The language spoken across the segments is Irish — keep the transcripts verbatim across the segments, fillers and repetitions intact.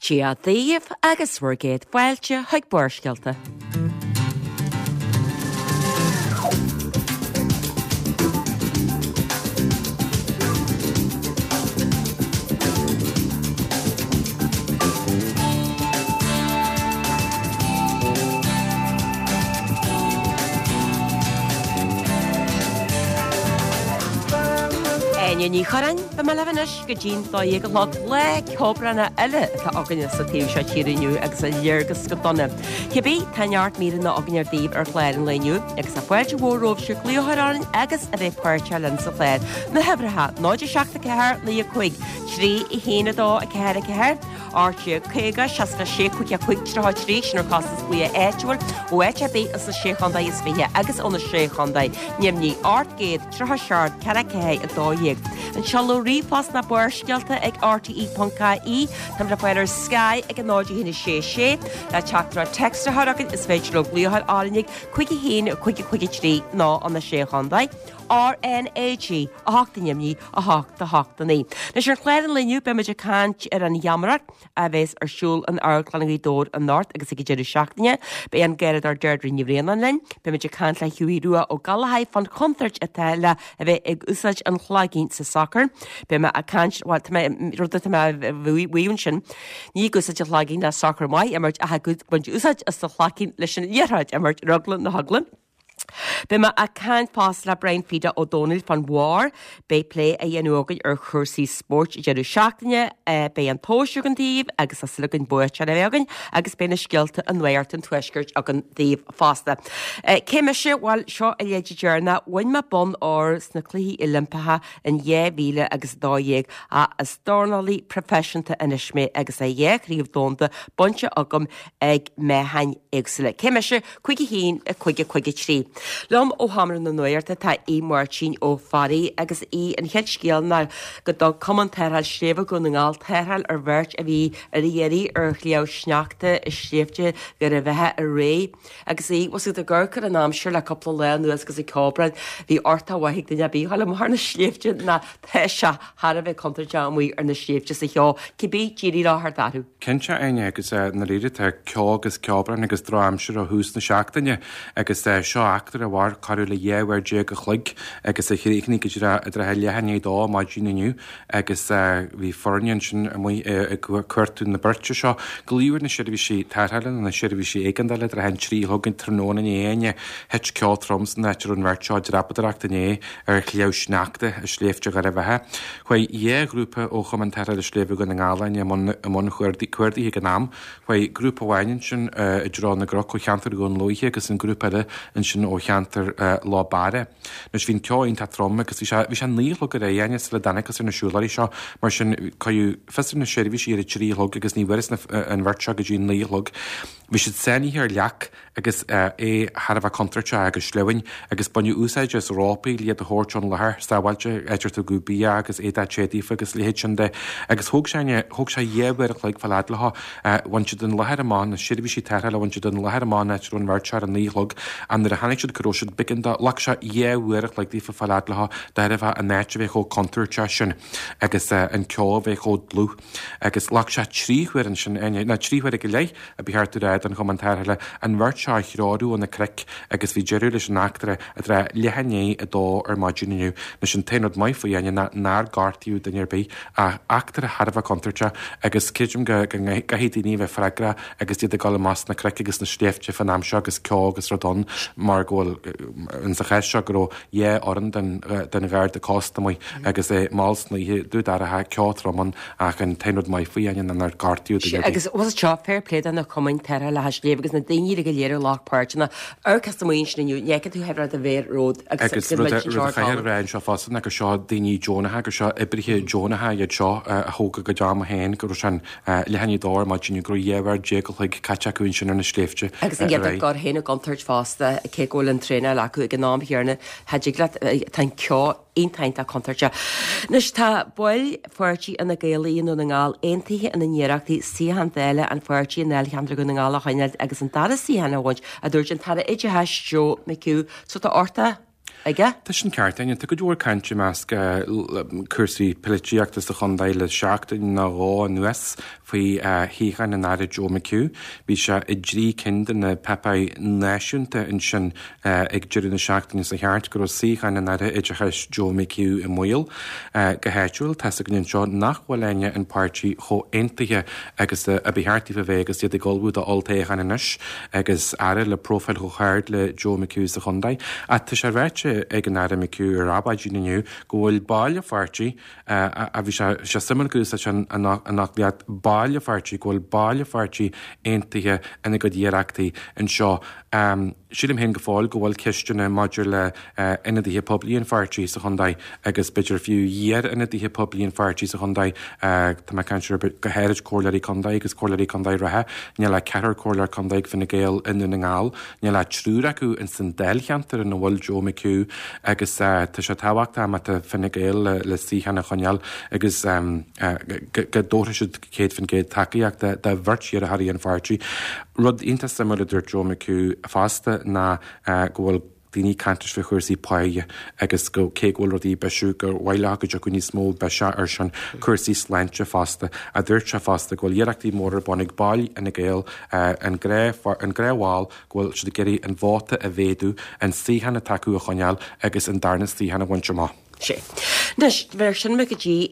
Dia daoibh agus bhur gcéad fáilte chuig Barrscéalta. Áine Ní Churráin, beidh mé libh anois go dtí'n dó dhéag a chlog lá ceobhránach eile atá againne sa taobh seo tíre inniu agus a léargas go dona. Cibé, tá neart míreanna againn daoibh ar chlár an lae inniu agus tá fáilte mhór romhaibhse glaoch a chur orainn agus a bheith páirteach linn sa chlár. Na huimhreacha, náid a seacht a ceathair, naoi a cúig, trí a haon a dó a ceathair a ceathair, ocht déag caoga, seasca sé cúig a cúig tríocha trí, sin ar chostas glaoch áitiúil ó áit ar bith sna Sé Chontae is Fiche agus ó na Sé Chontae Neimnigh ocht gcéad tríocha seacht ceathair ceathair a dó dhéag. An seoladh ríomhphost ná Barrscéalta ag R T E ponc I E, Táimid le fáil ar Sky ag a náid a haon a sé sé, le teachtaireacht téacs a chur chugainn is féidir leo glaoch a chur orainn ag cúig a haon cúig a cúig a trí nó an na Sé Chontae. R N A G a hocht i nDoimhnigh a hocht a hocht a naoi. Anois ar chlár an lae inniu beimid ag caint ar an gheamaireacht a bheas ar siúl in Amharclann Ghaoth Dobhair anocht agus ag an deireadh seachtaine. Beidh an Garradóir Deirdre Ní Bhraonáin linn, beimid ag caint le Hughie Rua Ó Gallchóir fán chontúirt atá le a bheith ag úsáid an chlaigín sa sacar. Beidh mé ag caint bhuel tá mé rud atá mé a mhaíomh ansin ní ag úsáid an chlaigín le sacar maith a imirt ach ag baint úsáid as an chlaigín leis an liathróid a imirt ar eagla na heagla. Beidh mé ag caint fosta le Brian Fida Ó Dónaill fán bharr, beidh plé á dhéanamh againn ar chúrsaí spóirt i deireadh seachtaine, beidh an tomhas againn daoibh agus tá súil againn buaiteoir a bheith againn agus beidh na scéalta i Nuacht an Tuaiscirt againn daoibh fosta. Cé mise? Bhuel, seo a leithéid deireanach, bhain mé bonn óir sna Cluichí Oilimpeacha in dhá mhíle agus a dó dhéag ach is dornálaí proifisiúnta anois mé agus é dhá chraobh domhanda bainte agam ag meáchain éagsúla. Cé mise? Cúig a haon, a cúig a cúig a trí. Liom ó Sheomra na Nuachta tá Aodh Máirtín Ó Fearraigh agus Aodh an chéad scéal ná go dtug Cumann Tarrtháil Sléibhe Dhún na nGall tarrtháil ar bheirt a bhí ar iarraidh ar shliabh sneachta i sléibhte Dhoire Bheatha aréir agus Aodh was ag amharc ar an aimsir le cúpla lá anuas agus ag ceobhrán bhí uchtach mhaith ag duine ar bith a ghabháil amach ar na sléibhte ná tá sé thar a bheith contúirteach amuigh ar na sléibhte sa cheo cibé d'éirigh leo thart orthu. Cinnte Áine agus dáiríre tá ceo agus ceobhrán agus drochaimsir ó thús na seachtaine agus seo eachtra a mhair corradh le dhá uair déag a chloig agus a chríochnaigh go dtí i dtrátha leath i ndiaidh a dó maidin inniu agus bhí foirne ansin amuigh ag cuartú na beirte seo. Glaodh ar na seirbhísí tarrthála nó na seirbhísí éigeandála i dtrátha an trí a chlog an tráthnóna inné Áine. Thit ceo trom san áit a raibh an bheirt seo ag dreapadóireacht inné ar shliabh sneachta i sléibhte Dhoire Bheatha. Chuaigh dhá ghrúpa ó Chumann Tarrthála Sléibhe Dhún na nGall Áine i mbun cuardaithe ag an am. Chuaigh grúpa amháin ansin i dtreo na gcnoc ó cheantar Dhún Lúiche agus an grúpa eile ansin ó cheantar Loch Barra. Anois bhí an ceo iontach trom agus bhí sé bhí sé naoi a chlog aréir Áine sula dtángthas ar na siúlóirí seo mar sin cuireadh fios ar na seirbhísí ar a trí a chlog agus ní bhfuarthas an bheirt seo go dtí naoi a chlog. Bhí siad sáinnithe ar leac agus é thar a bheith contúirteach agus sleamhain agus baineadh úsáid as rópaí le iad a thabhairt ón láthair sábháilte, áit ar tugadh bia agus éadach te daofa agus a leithéid sin de. Agus thóg sé thóg sé dhá uair a chloig fáil fhad leo. Bhain siad an láthair amach, na seirbhísí tarrthála, bhain siad an láthair amach an áit a raibh an bheirt seo ar a naoi a chlog ach nuair a tháinig siad go raibh siad b'éigean dó, ghlac sé dhá uair a chloig daofa fáil fhad leo de thairbhe an áit a bheith chomh contúirteach sin agus an ceo a bheith chomh dlúth. Agus ghlac sé trí huaire ansin, ná trí huaire go leith a ba cheart a rá don Chumann Tarrthála an bheirt seo a threorú ó na cnoic agus bhí deireadh leis an eachtra i dtráth leath i ndiaidh a dó ar maidin inniu. Anois an t-aon rud maith faoi Áine ná nár gortaíodh duine ar bith ach eachtra thar a bheith contúirteach agus creidim go gcaithfidh daoine a bheith freagrach agus iad ag dul amach sna cnoic agus sna sléibhte fán am seo agus ceo agus rud ann mar go bhfuil in sa chás seo go raibh dhá fhoireann den den Gharda Cósta amuigh agus é mall san oíche dubh dorcha ceo trom ann ach an t-aon rud maith faoi Áine ná nár gortaíodh duine ar bith. Agus was seo fair play do na cumainn tarrthála sléibhe agus na daoine go léir a ghlac páirt ina amharc amuigh ansin inniu, ní fheiceann tú rud a bheith romhat agus Agus rud a rud a chaithfear a rá anseo fosta ná gur seo daoine deonacha, gur seo oibrithe deonacha iad seo a thóg a gcuid ama féin, go raibh sé an leath i ndiaidh a dó ar maidin, go raibh dhá uair déag a chloig caite acu ansin ar na sléibhte Agus iad ag aréir. cur féin i gcontúirt fosta, cé go bhfuil an traenáil acu ag an am chéanna, cha dtig leat, tá an ceo iontach iontach contúirteach. Anois tá baill pháirtí Fhine Gael i nDún na nGall aontaithe ina n-iarrachtaí suíochán Dála an pháirtí i ndáilcheantar Dhún na nGall a choinneáil agus an dara suíochán a bhaint, a dúirt an tAire Oideachais Joe McHugh. So tá orthu aige. Tá sin ceart, Áine. Tá cuid mhór cainte i measc cúrsaí polaitíochta sa chontae le seachtain nó dhó anuas faoi shuíochán an Aire Joe McHugh. Bhí sé i dtrí cinn de na páipéir náisiúnta ansin ag deireadh na seachtaine seo thart go raibh suíochán an Aire Oideachais Joe McHugh i mbaol. Go háitiúil, tá's againn anseo nach bhfuil éinne an páirtí chomh aontaithe agus a ba cheart daofa bheith agus iad ag ullmhú do olltoghchán anois agus Aire le profile chomh hard le Joe McHugh sa chontae. Ach tá sé ráite ag an Aire McHugh ar Adhmhaidin inniu go bhfuil baill an pháirtí a bhí sé suimiúil go úsáid an fhoclaíocht baill an pháirtí, go bhfuil baill an pháirtí aontaithe ina gcuid iarrachtaí anseo. Sílim féin go fóill go bhfuil ceisteanna maidir le ionadaithe poiblí an pháirtí sa chontae agus b'fhéidir fiú iar-ionadaithe poiblí an pháirtí sa chontae. Tá mé ag caint ar go háirid comhairleoirí contae agus comhairleoirí contae reatha. Níl ach ceathrar comhairleoir contae ag Fine Gael i nDún na nGall. Níl ach triúr acu ins an dáilcheantar ina bhfuil Joe McHugh agus tá sé tábhachtach má tá Fine Gael le, le suíochán a choinneáil agus go dtabharfaidh siad céad faoin gcéad tacaíocht do bheirt iarrthóirí an pháirtí. Rud iontach suimiúil a dúirt Joe McHugh fosta ná go bhfuil daoine ag caint faoi chúrsaí páighe agus go cé go bhfuil rudaí ag bisiú gur mhaith leo go dtiocfadh níos mó biseach ar sin cúrsaí sláinte fosta. A dúirt sé fosta go bhfuil iarrachtaí móra ar bun ag baill Fhine Gael an an gnáthbhall go bhfuil siad ag iarraidh an vóta a mhéadú, an suíochán atá acu a choinneáil agus an darna suíochán a bhaint amach. Sé. Anois, bheir sin mé go dtí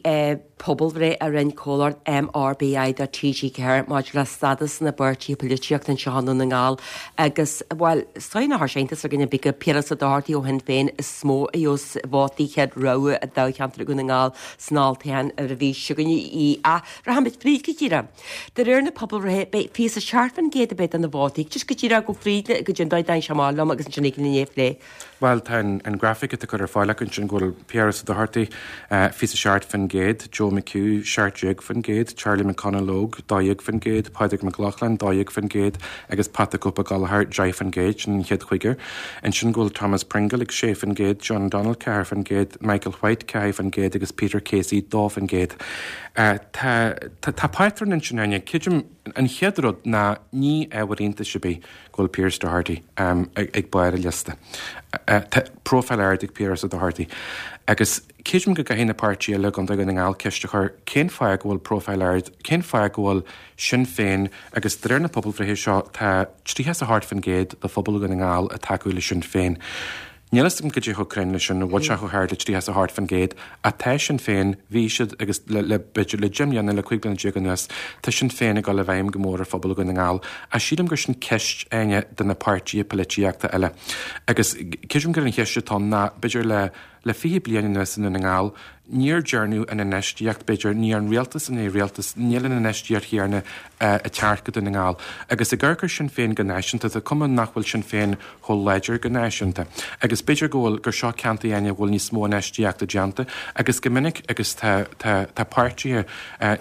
pobalbhreith a rinne comhlacht M R B I do T G ceathair maidir le stádas na bpáirtithe polaitíochta anseo i nDún na nGall agus bhuel, is dóigh nach raibh sé iontas ar dhuine ar bith gur Piaras Ó Dochartaigh ó Shinn Féin is mó a gheobhas vótaí chéad rogha i dtoghcheantar Dhún na nGall san olltoghchán ar an mhí seo chugainn í ach rachaimid fríd go díreach. De réir na pobalbhreithe beidh fiche a seacht faoin gcéad a bheidh de na vótaí, just go díreach go fríd go dtí an dóigh d'aon seamáil liom agus ansin ag an inné phlé. Bhuel, tá an grafaic atá curtha ar fáil acu ansin go bhfuil Piaras Ó Dochartaigh fiche a seacht faoin gcéad, Joe McHugh seacht déag faoin gcéad, Charlie McConalogue dó dhéag faoin gcéad, Pádraig Mac Lochlainn dó dhéag faoin gcéad agus Pat the Cope Gallagher deich faoin gcéad, sin an chéad chúigear. Ansin go bhfuil Thomas Pringle ag sé faoin gcéad, John O'Donnell ceathair faoin gcéad, Michael White ceathair faoin gcéad agus Peter Casey dó faoin gcéad. Tá tá pátrún ansin Áine, creidim an chéad rud ná ní ábhar iontais ar bith go bhfuil Pearse Doherty um, ag, ag barr an liosta. Uh, tá profile ard ag Pearse Doherty. Agus creidim go gcaithfidh na páirtithe eile i gContae Dhún na nGall ceist a chur cén fáth go bhfuil profile ard, cén fáth go bhfuil Sinn Féin agus de réir na pobalbhreithe seo tá tríocha a hocht faoin gcéad de phobal Dhún na nGall ag tacú le Sinn Féin. Níl a fhios agam cad é chomh cruinn leis sin bhfuil sé chomh hard le tríocha a hocht faoin gcéad atá Sinn Féin bhí siad agus le le b'fhéidir le deich mbliana le cúig bliana déag anuas tá Sinn Féin ag dul i bhfeidhm go mór ar phobal Dhún na nGall a sílim gur sin ceist Áine do na páirtithe polaitíochta eile. Agus creidim gur an cheist atá ná b'fhéidir le le fiche bliain anuas i nDún na nGall, níor déanadh an infheistíocht b'fhéidir ní an rialtas an é rialtas níl an infheistíocht chéanna ag teacht go Dún na nGall. Agus ag amharc ar Sinn Féin go náisiúnta tá cuma nach bhfuil Sinn Féin chomh láidir go náisiúnta. Agus b'fhéidir go bhfuil gur seo ceantar Áine bhfuil níos mó infheistíochta déanta agus go minic agus tá tá tá páirtithe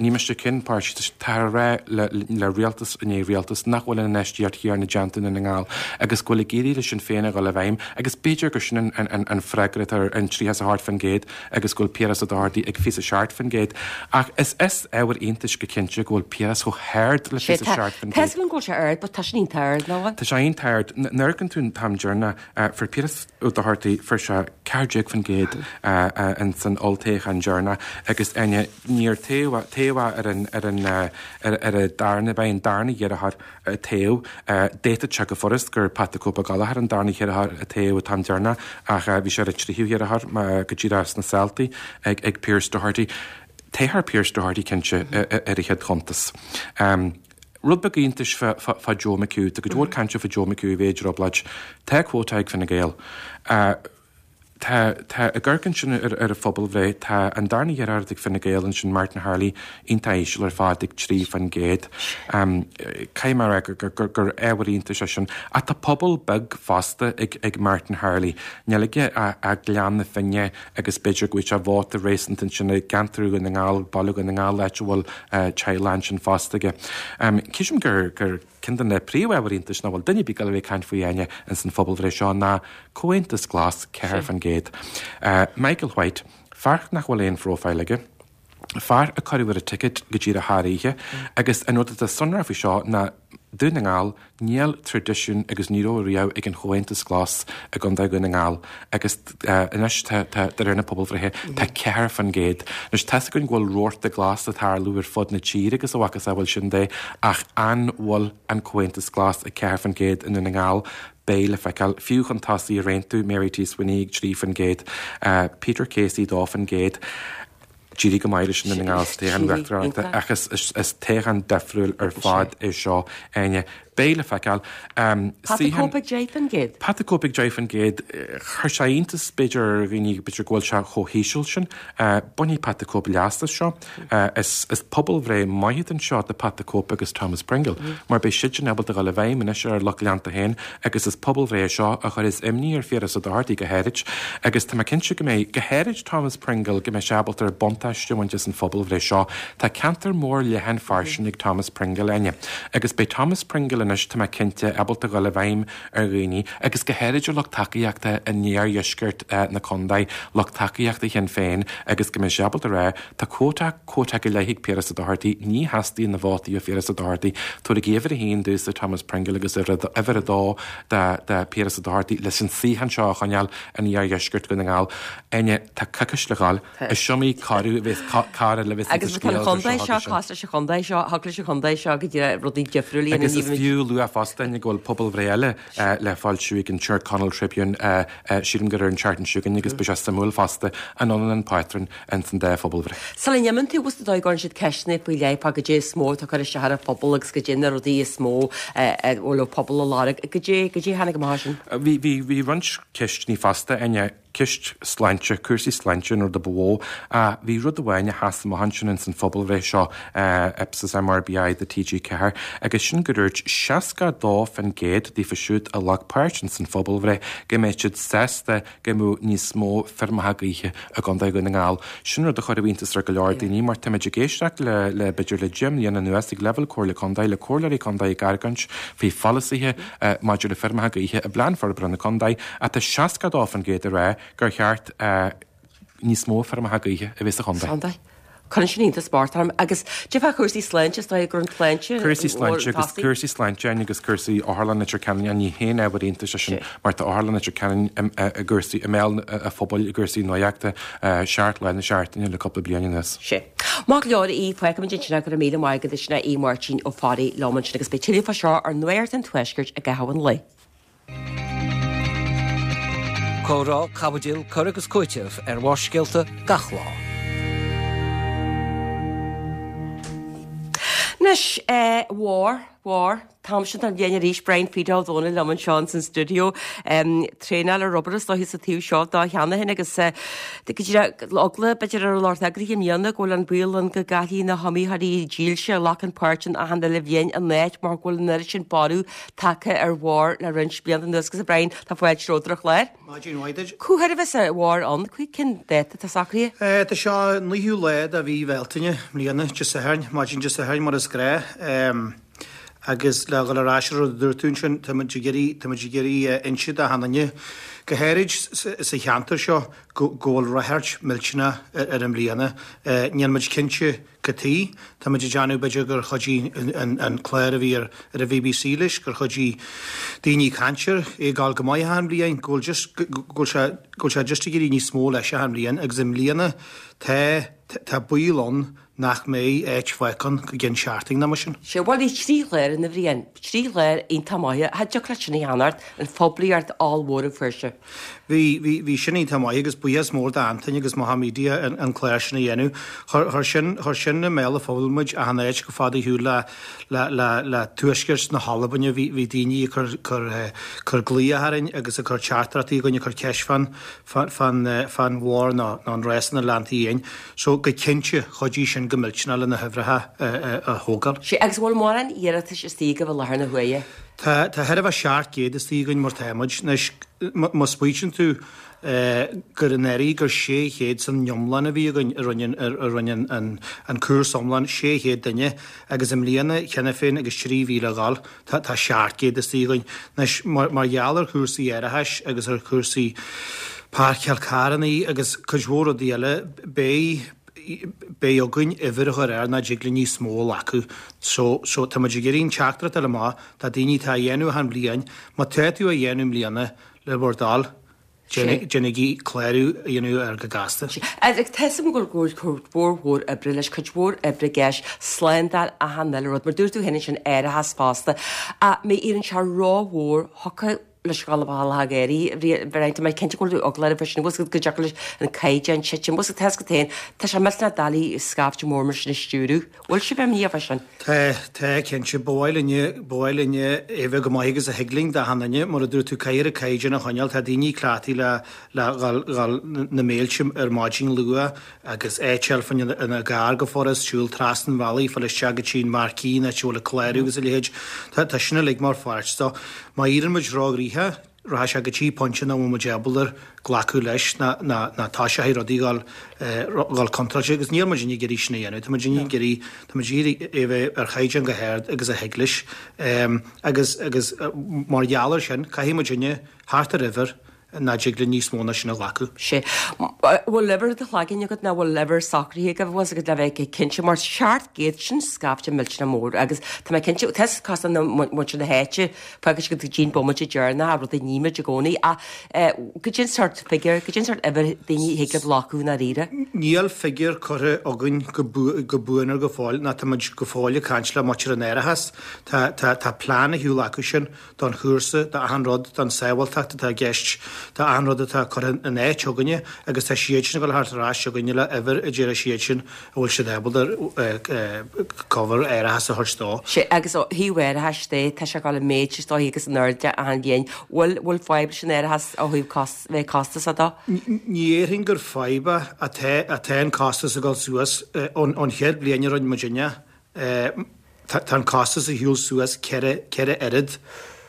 ní miste cén páirtí tá rá le, le rialtas in é rialtas nach bhfuil an infheistíocht chéanna déanta i Dún na nGall agus go bhfuil ag éirí le Sinn Féin a dhul i bhfeidhm agus b'fhéidir gur sin an, an, an freagra ar an tríocha a hocht faoin gcéad agus go bhfuil Piaras Ó Dochartaigh ag fiche a seacht faoin gcéad. Ach is is ábhar iontais go cinnte go bhfuil Piaras chomh hard le fiche a seacht faoin gcéad. Tá go bhfuil sé ard, but tá sin iontach ard ná? Tá sé iontach ard nuair an tú tam dearna fuair Piaras Ó Dochartaigh fuair sé ceathair déag faoin gcéad in san olltoghchán deireanach agus Áine níor taobh taobh ar an ar an ar ar a darna bheith an darna iarrthóir tofa d'fhéadfadh sé go furast gur Pat the Cope Gallagher an darna hiarrthóir tofa tam deireanach ach bhí sé ar a tríú hiarrthóir go dtí sna Saltaí ag ag Pearse Doherty. Téthar Pearse Doherty cinnte ar a chéad chuntas. Um, Rud beag iontais fá Joe McHugh, Tá go dúir cainte fá Joe McHugh bhéidir obláid, Tá quota ag Fine Gael. Uh, Tá tá ag amharc ansin ar ar an phobalbhreith tá an darna hiarrthóir ag Fine Gael ansin Martin Harley iontach íseal ar fad ag trí faoin gcéad. Um, Caithfidh mé gur gur gur ábhar iontais é sin ach tá pobal beag fosta ag ag Martin Harley. Níl aige a, a Gleann na Finne agus b'fhéidir go bhfuil sé vóta réasúnta ansin i gceantar Dhún na nGall baile Dhún na nGall áit a bhfuil uh, teaghlach ansin fosta aige. Um, Creidim gur gur ceann de na príomhábhair iontais nach bhfuil duine ar bith ag caint faoi Áine in san phobalbhreith seo ná Comhaontas Glas ceathair faoin gcéad. Uh, Michael White, fear nach bhfuil aon profile aige, fear a cuireadh ar a ticket go dtí a tharíche, agus an rud atá sonrath faoi seo ná Dún na nGall, níl traidisiún agus ní raibh riamh ag an Chomhaontas Glas i gContae Dhún na nGall agus anois tá, tá, de réir na pobalbhreithe, tá ceathair faoin gcéad. Anois tá's againn go bhfuil rabharta glas ag tarlú ar fud na tíre agus a mhacasamhail sin de ach an bhfuil an Comhaontas Glas ag ceathair faoin gcéad i nDún na nGall? Beidh le feiceáil. Fiú chun tosaigh ar Aontú, Mary T. Sweeney ag trí faoin gcéad, Peter Casey dó faoin gcéad. D'éirigh go maith leis i nDún na nGall sa toghchán uachtaránachta ach is toghchán difriúil ar fad é seo, Áine. Beidh le feiceáil. Pat the Cope ag deich faoin gcéad. Pat the Cope ag deich faoin gcéad. Chuir sé iontas b'fhéidir ar dhaoine b'fhéidir go bhfuil sé chomh híseal sin. Bainfidh Pat the Cope leas as seo. Is pobalbhreith maith anseo do Pat the Cope agus Thomas Pringle mar beidh siadsan ábalta dul i bhfeidhm anois ar a lucht leanta féin agus is pobalbhreith é seo a chuirfeas imní ar Phiaras Ó Dochartaigh go háirid agus tá mé cinnte go mbeidh, go háirid Thomas Pringle, go mbeidh sé ábalta ar buntáiste a bhaint as an phobalbhreith seo. Tá ceantar mór leathan fairsing ag Thomas Pringle, Áine, agus beidh Thomas Pringle anois, tá mé cinnte, ábalta dhul i bhfeidhm ar dhaoine agus go háirid ar lucht tacaíochta in iardheisceart na contae, lucht tacaíochta Shinn Féin agus go mbeidh sé ábalta a rá, tá cuóta, cuóta go leith ag Piaras Ó Dochartaigh, ní theastaíonn na vótaí ó Phiaras Ó Dochartaigh, tabhairigí uimhir a haon domhsa Thomas Pringle agus uimhir a dó do Piaras Ó Dochartaigh leis an suíochán seo a choinneáil in iardheisceart Dhún na nGall. Áine, tá coicís le dhul. Is iomaí curadh a bheas cara le bheas Agus tá an chontae seo cosúil leis an chontae seo, thig leis an chontae seo go dtí rudaí difriúla a dhéanamh. Agus is fiú a lua fosta, Áine, go bhfuil pobalbhreith eile le foilsiú ag an Tyrconnell Tribune, sílim gur ar an tseachtain seo chugainn agus beidh sé suimiúil fosta an ionann an pátrún ins an dá phobalbhreith. Sula n-imíonn tú, bhfuil dóigh go gcuireann siad ceisteanna faoi leith fá goidé is mó atá ag cur isteach ar an phobal agus goidé na rudaí is mó a bhfuil an pobal ag lorg. Goidé, goidé a tháinig amach as sin? Bhí, bhí, bhí roinnt ceisteanna fosta, Áine. Ceist sláinte, cúrsaí sláinte an rud a ba mhó. Ach bhí rud amháin a sheas amach ansin ins an phobalbhreith seo, Ipsos MRBI do T G ceathair, agus sin gur dúirt seasca a dó faoin gcéad daofa siúd a ghlac páirt ins an phobalbhreith go mbeadh siad sásta go mbeadh níos mó feirmeacha gaoithe i gContae Dhún na nGall. Sin rud a chuirfeadh iontas ar go leor daoine mar táimid ag éisteacht le, le b'fhéidir le deich mbliana anuas ag leibhéal Comhairle Contae, le comhairleoirí contae ag argóint faoi pholasaithe maidir le feirmeacha gaoithe i bPlean Forbartha na Contae ach tá seasca a dó faoin gcéad ag rá gur cheart níos mó feirmeacha gaoithe a bheith sa chontae. Contae. Cuireann sin iontas spóirt orm agus de bharr cúrsaí sláinte, is dóigh gur an tsláinte Cúrsaí sláinte agus cúrsaí sláinte Áine agus cúrsaí Otharlann Leitir Ceanainn, ní haon ábhar iontais é sin mar tá Otharlann Leitir Ceanainn i gcúrsaí, i mbéal an phobail i gcúrsaí nuachta seacht lá na seachtaine le cúpla bliain anuas. Sea. Maith go leor a Aoidh, fágfaimid ansin é, go raibh míle maith agat, sin é Aodh Máirtín Ó Fearraigh liom ansin agus beidh tuilleadh fá seo ar Nuacht an Tuaiscirt i gcaitheamh an lae. Comhrá, caibidil, cur agus cúiteamh ar Bharrscéalta gach lá. Anois, a Mhór, Mhór, t-am sin den bhliain arís, Brian Phete Ó Domhnaill liom anseo ins an stiúideo. Traenáil ar obair is dóiche sa taobh seo dó cheana féin agus go díreach eagla b'fhéidir ar an lucht eagraithe i mbliana go bhfuil an baol ann go gcaillfidh na hiomaitheoirí dílse a ghlacann páirt in achan uile bhliain a n-áit mar go bhfuil an oiread sin borradh tagtha ar Mhór le roinnt blianta anuas agus a Brian, tá fáilte romhat ar an chlár. Maidin mhaith duit. Cá huair a bheas an Mhór ann? Cén dáta atá socraithe? Tá sé an naoú lá de mhí Bhealtaine, i mbliana, Dé Sathairn, maidin Dé Sathairn mar is gnáth. Agus le dhul ar ais ar an rud a dúirt tú ansin, tá muid ag iarraidh, tá muid ag iarraidh inse d'achan duine, go háirid sa cheantar seo, go bhfuil ráchairt millteanach air i mbliana. Níl muid cinnte cad chuige. Tá muid ag déanamh b'fhéidir gur chuidigh an clár a bhí ar an B B C leis, gur chuidigh daoine ag caint air, é ag gabháil go maith achan bhliain, go bhfuil just, go bhfuil sé, go bhfuil sé just ag éirí níos mó leis achan bhliain agus i mbliana tá, tá baol ann nach mbeidh áit fágtha ann go gceann seachtain nó mar sin. Sea, bhuel bhí trí chlár ann a Bhriain, trí chlár iontach maithe. Cha dtiocfadh leat sin a cheannacht, an phoiblíocht ollmhór a fuair sé. Bhí, bhí, bhí sin iontach maith agus buíochas mór d'Antain agus Macha Media an, an clár sin a dhéanamh. Chuir, chuir sin, chuir sin i mbéal an phobail muid achan áit chomh fada ar shiúl le, le, le, le tuaisceart na hAlbaine. Bhí, bhí daoine ag cur, cur, cur glaoch orainn agus ag cur teachtaireachtaí chugainn, ag cur ceist fán, fán, fán, fán mhór nó, nó an rás ina leantaí fhéin. So, go cinnte, chuidigh sin go millteanach le na huimhreacha a thógáil. Sea, agus bhfuil mórán iarratais istigh agaibh i láthair na huaire? Tá, tá thart fá seacht gcéad istigh againn mar tá muid. Anois, má smaoitíonn tú gur anuraidh gur sé chéad san iomlán a bhí againn a rinne, a rinne an, an cúrsa iomlán, sé chéad duine, agus i mbliana cheana féin agus trí mhí le dhul, tá, tá seacht gcéad istigh againn. Anois, mar, mar gheall ar chúrsaí árachais agus ar chúrsaí páirceáil carrannaí agus cuid mhór rudaí eile, beidh, Beidh againn uimhir a chur air nach dtig linn níos mó a ghlacadh. So, so tá muid ag iarraidh an teachtaireacht a fháil amach do daoine atá á dhéanamh achan bhliain. Má tá tú á dhéanamh i mbliana le bhur dtoil, déanaigí clárú a dhéanamh air go gasta. Agus tá 'fhios a'm go bhfuil cuid mhór mhór oibre leis, cuid mhór oibre i gceist, slándáil achan uile rud, mar dúirt tú féin ansin árachas fosta. Ach má éiríonn sé rómhór, thiocfadh leis dhul amach ag éirí, bhí tá mé cinnte go bhfuil tú eaglach air sin, go dtiocfadh leis an caighdeán titim, bhfuil 'fhios agat féin, tá sé millteanach doiligh scaifte mór mar sin a stiúradh. Bhfuil sibh imníoch fá sin? Tá, tá, cinnte. Ba mhaith linne, ba mhaith linne é bheith go maith agus a thig linn d'achan duine. Mar a dúirt tú, caithfear an caighdeán a choinneáil. Tá daoine cleachtaithe le, le dhul, dhul na mílte ar maidin luath agus áit a fháil fá choinne ina gcarr go furast, siúl trasna an bhealaigh, fáil isteach go dtí an marquee, an áit a bhfuil an clárú agus a leithéid. Tá, tá sin uilig mar pháirt dó. Má éiríonn muid róghnoitheach, rachaidh sé go dtí pointe nach bhfuil muid ábalta glacadh leis ná ná toiseoidh rudaí dhul dhul contráilte agus níl muid ag iarraidh sin a dhéanamh. Tá muid ag iarraidh tá muid ag iarraidh é bheith ar chaighdeán go hard agus a thig leis. Agus agus mar gheall air sin caithfidh muidinne thart ar uimhir nach dtig linn níos mó ná sin a ghlacadh. Sé. Bhfuil uimhir i do chloigeann agat nó bhfuil uimhir socraithe agaibh bhfuil 'fhios agat le bheith cinnte mar seacht gcéad sin scaifte millteanach mór agus tá mé cinnte tá 'fhios cosúil le muintir na háite fágfaidh siad go dtí an bomaite deireanach rud a nímid i gcónaí ach goidé an sórt figure goidé an sórt uimhir daoine a thig libh glacadh i ndáiríre. Níl figure curtha againn go buan ar go fóill ná tá muid go fóill ag caint le muintir an árachais. Tá tá tá plean ar shiúl acu sin don chúrsa, d'achan rud, don sábháilteacht atá i gceist, do achan rud atá curtha in áit againne agus tá siad sin ag dul thart ar ais chugainne le uimhir a déarfaidh siad sin a bhfuil siad ábalta cover árachas a thabhairt dó. Sea, agus ó thaobh árachais de, tá sé ag dul i méid is dóigh agus in airde achan bhliain. Bhfuil, bhfuil fadhb leis an árachas ó thaobh cos, bheith costasach dó? Ní dhéarfainn gur fadhb é ach tá, tá an costas ag dul suas. Ón chéad bhliain a rinne muidinne, Tá an costas ar shiúl suas ceithre ceithre oiread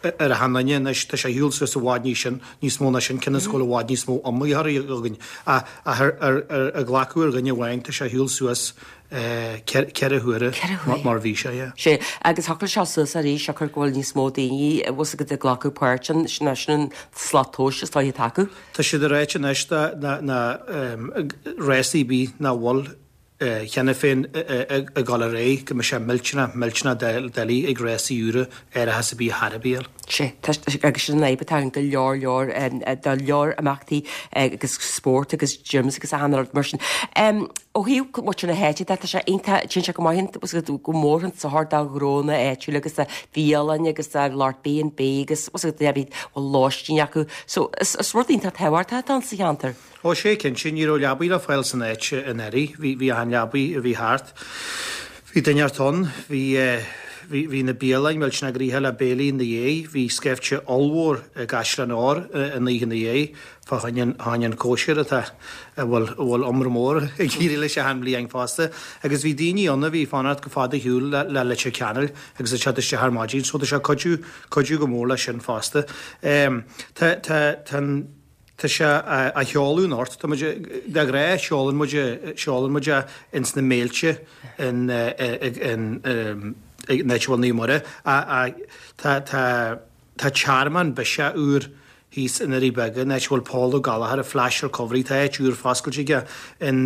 ar achan duine anois. Tá sé ar shiúl suas i bhfad níos sin, níos mó ná sin, cionn is go bhfuil i bhfad níos mó iomaitheoirí againn. Ach ar ar ar glacadh ar dhuine amháin, tá sé ar shiúl suas ceithre huaire mar bhí sé, yeah. Sea, agus thiocfadh sé suas arís siocair go bhfuil níos mó daoine bhfuil 'fhios agat ag glacadh páirt ann, sin sin an slat tomhais is dóigh atá acu. Tá siad ag ráit anois dá na rásaí ar bith nach bhfuil cheana féin ag dul ar aghaidh go mbeidh sé millteanach, millteanach doiligh ag rásaí úra árachas ar bith a thairbhiúil. Sea, tá, agus sin an fhadhb atá ann go leor, leor, do leor imeachtaí agus spórt agus gyms agus achan rud mar sin. Ó thaobh muintir na háite de, tá sé iontach, téann sé go maith go mór chun sochair do ghnónna áitiúla agus do bhialanna agus do lucht B and B agus bhfuil lóistín acu. So is rud iontach tábhachtach atá ann sa cheantar. Ó sea, cinnte, ní raibh leabaidh le fáil san áit anuraidh. Bhí, bhí achan leabaidh a bhí thart. Bhí duine inteacht ann, bhí, bhí, bhí na bialainn millteanach gnoitheach le béilí ina dhiaidh, bhí scaifte ollmhór i gCaisleán Óir an oíche ina dhiaidh fá choinne an, choinne an cóisir atá, a bhfuil, a bhfuil iomrá mór ag éirí leis achan bhliain fosta. Agus bhí daoine ann a bhí ag fanacht go fada ar shiúl le, le Leitir Ceanainn agus ag teacht isteach ar maidin, so tá sé ag cuidiú, cuidiú go mór leis sin fosta. Tá, tá, tá an. Tá sé á sheoladh anocht. Tá muid, de ghnáth seolann muid, seolann muid é ins na méilte in, in, in áit a bhfuil Naomh Muire. Tá, tá, tá tearmann biseach úr thíos i nDoirí Beaga, in áit a bhfuil Paul Ó Gallchóir, an Flash Recovery. Tá áit úr foscailte aige in,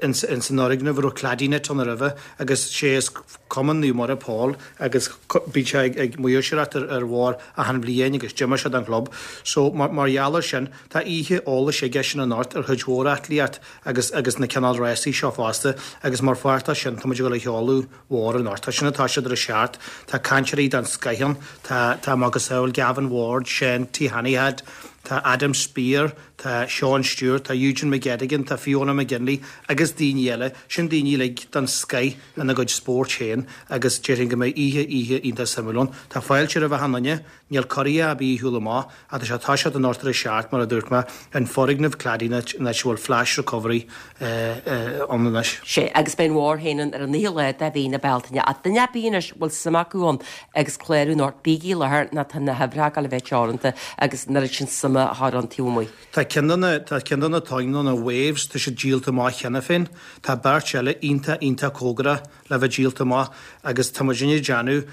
ins, ins an fhoirgneamh a raibh Cladinet ann roimhe agus sé is Cumann Naomh Muire Paul agus bíonn sé ag maoirseoireacht ar ar bharr achan bhliain agus d'imir sé don chlub. So mar mar gheall ar sin tá oíche eolais aige sin anocht ar chuid mhór aclaíocht agus agus na cineál rásaí seo fosta agus mar pháirt de sin tá muid ag dul a sheoladh Bharr anocht. Tá sin ag toiseacht ar a seacht. Tá cainteoirí den scoith ann. Tá tá macasamhail Gavin Ward, Seán T Hannihead, tá Adam Speer, tá Sean Stewart, tá Eugene McGettigan, tá Fiona McGinley agus daoine eile. Sin daoine uilig den scoith ina gcuid spóirt féin agus déarfainn go mbeidh oíche, oíche iontach suimiúil ann. Tá fáilte roimh achan duine. Níl cuirí ar bith ar shiúl amach ach tá sé ag toiseacht anocht ar a seacht mar a dúirt mé, in foirgneamh Cladinet in áit a bhfuil Flash Recovery ann anois. Sea, agus beidh an bharr féin ann ar an naoú lá de mhí na Bealtaine. Ach duine ar bith anois a bhfuil suim acu ann agus clárú anocht, bígí i láthair nó tá na huimhreacha ag dul a bheith teoranta agus an oiread sin suime a chur ann taobh amuigh. Tá ceann de na, tá ceann de na toin nó na waves, tá siad díolta amach cheana féin. Tá beirt eile iontach, iontach cóngarach le bheith díolta amach agus tá muidinne ag déanamh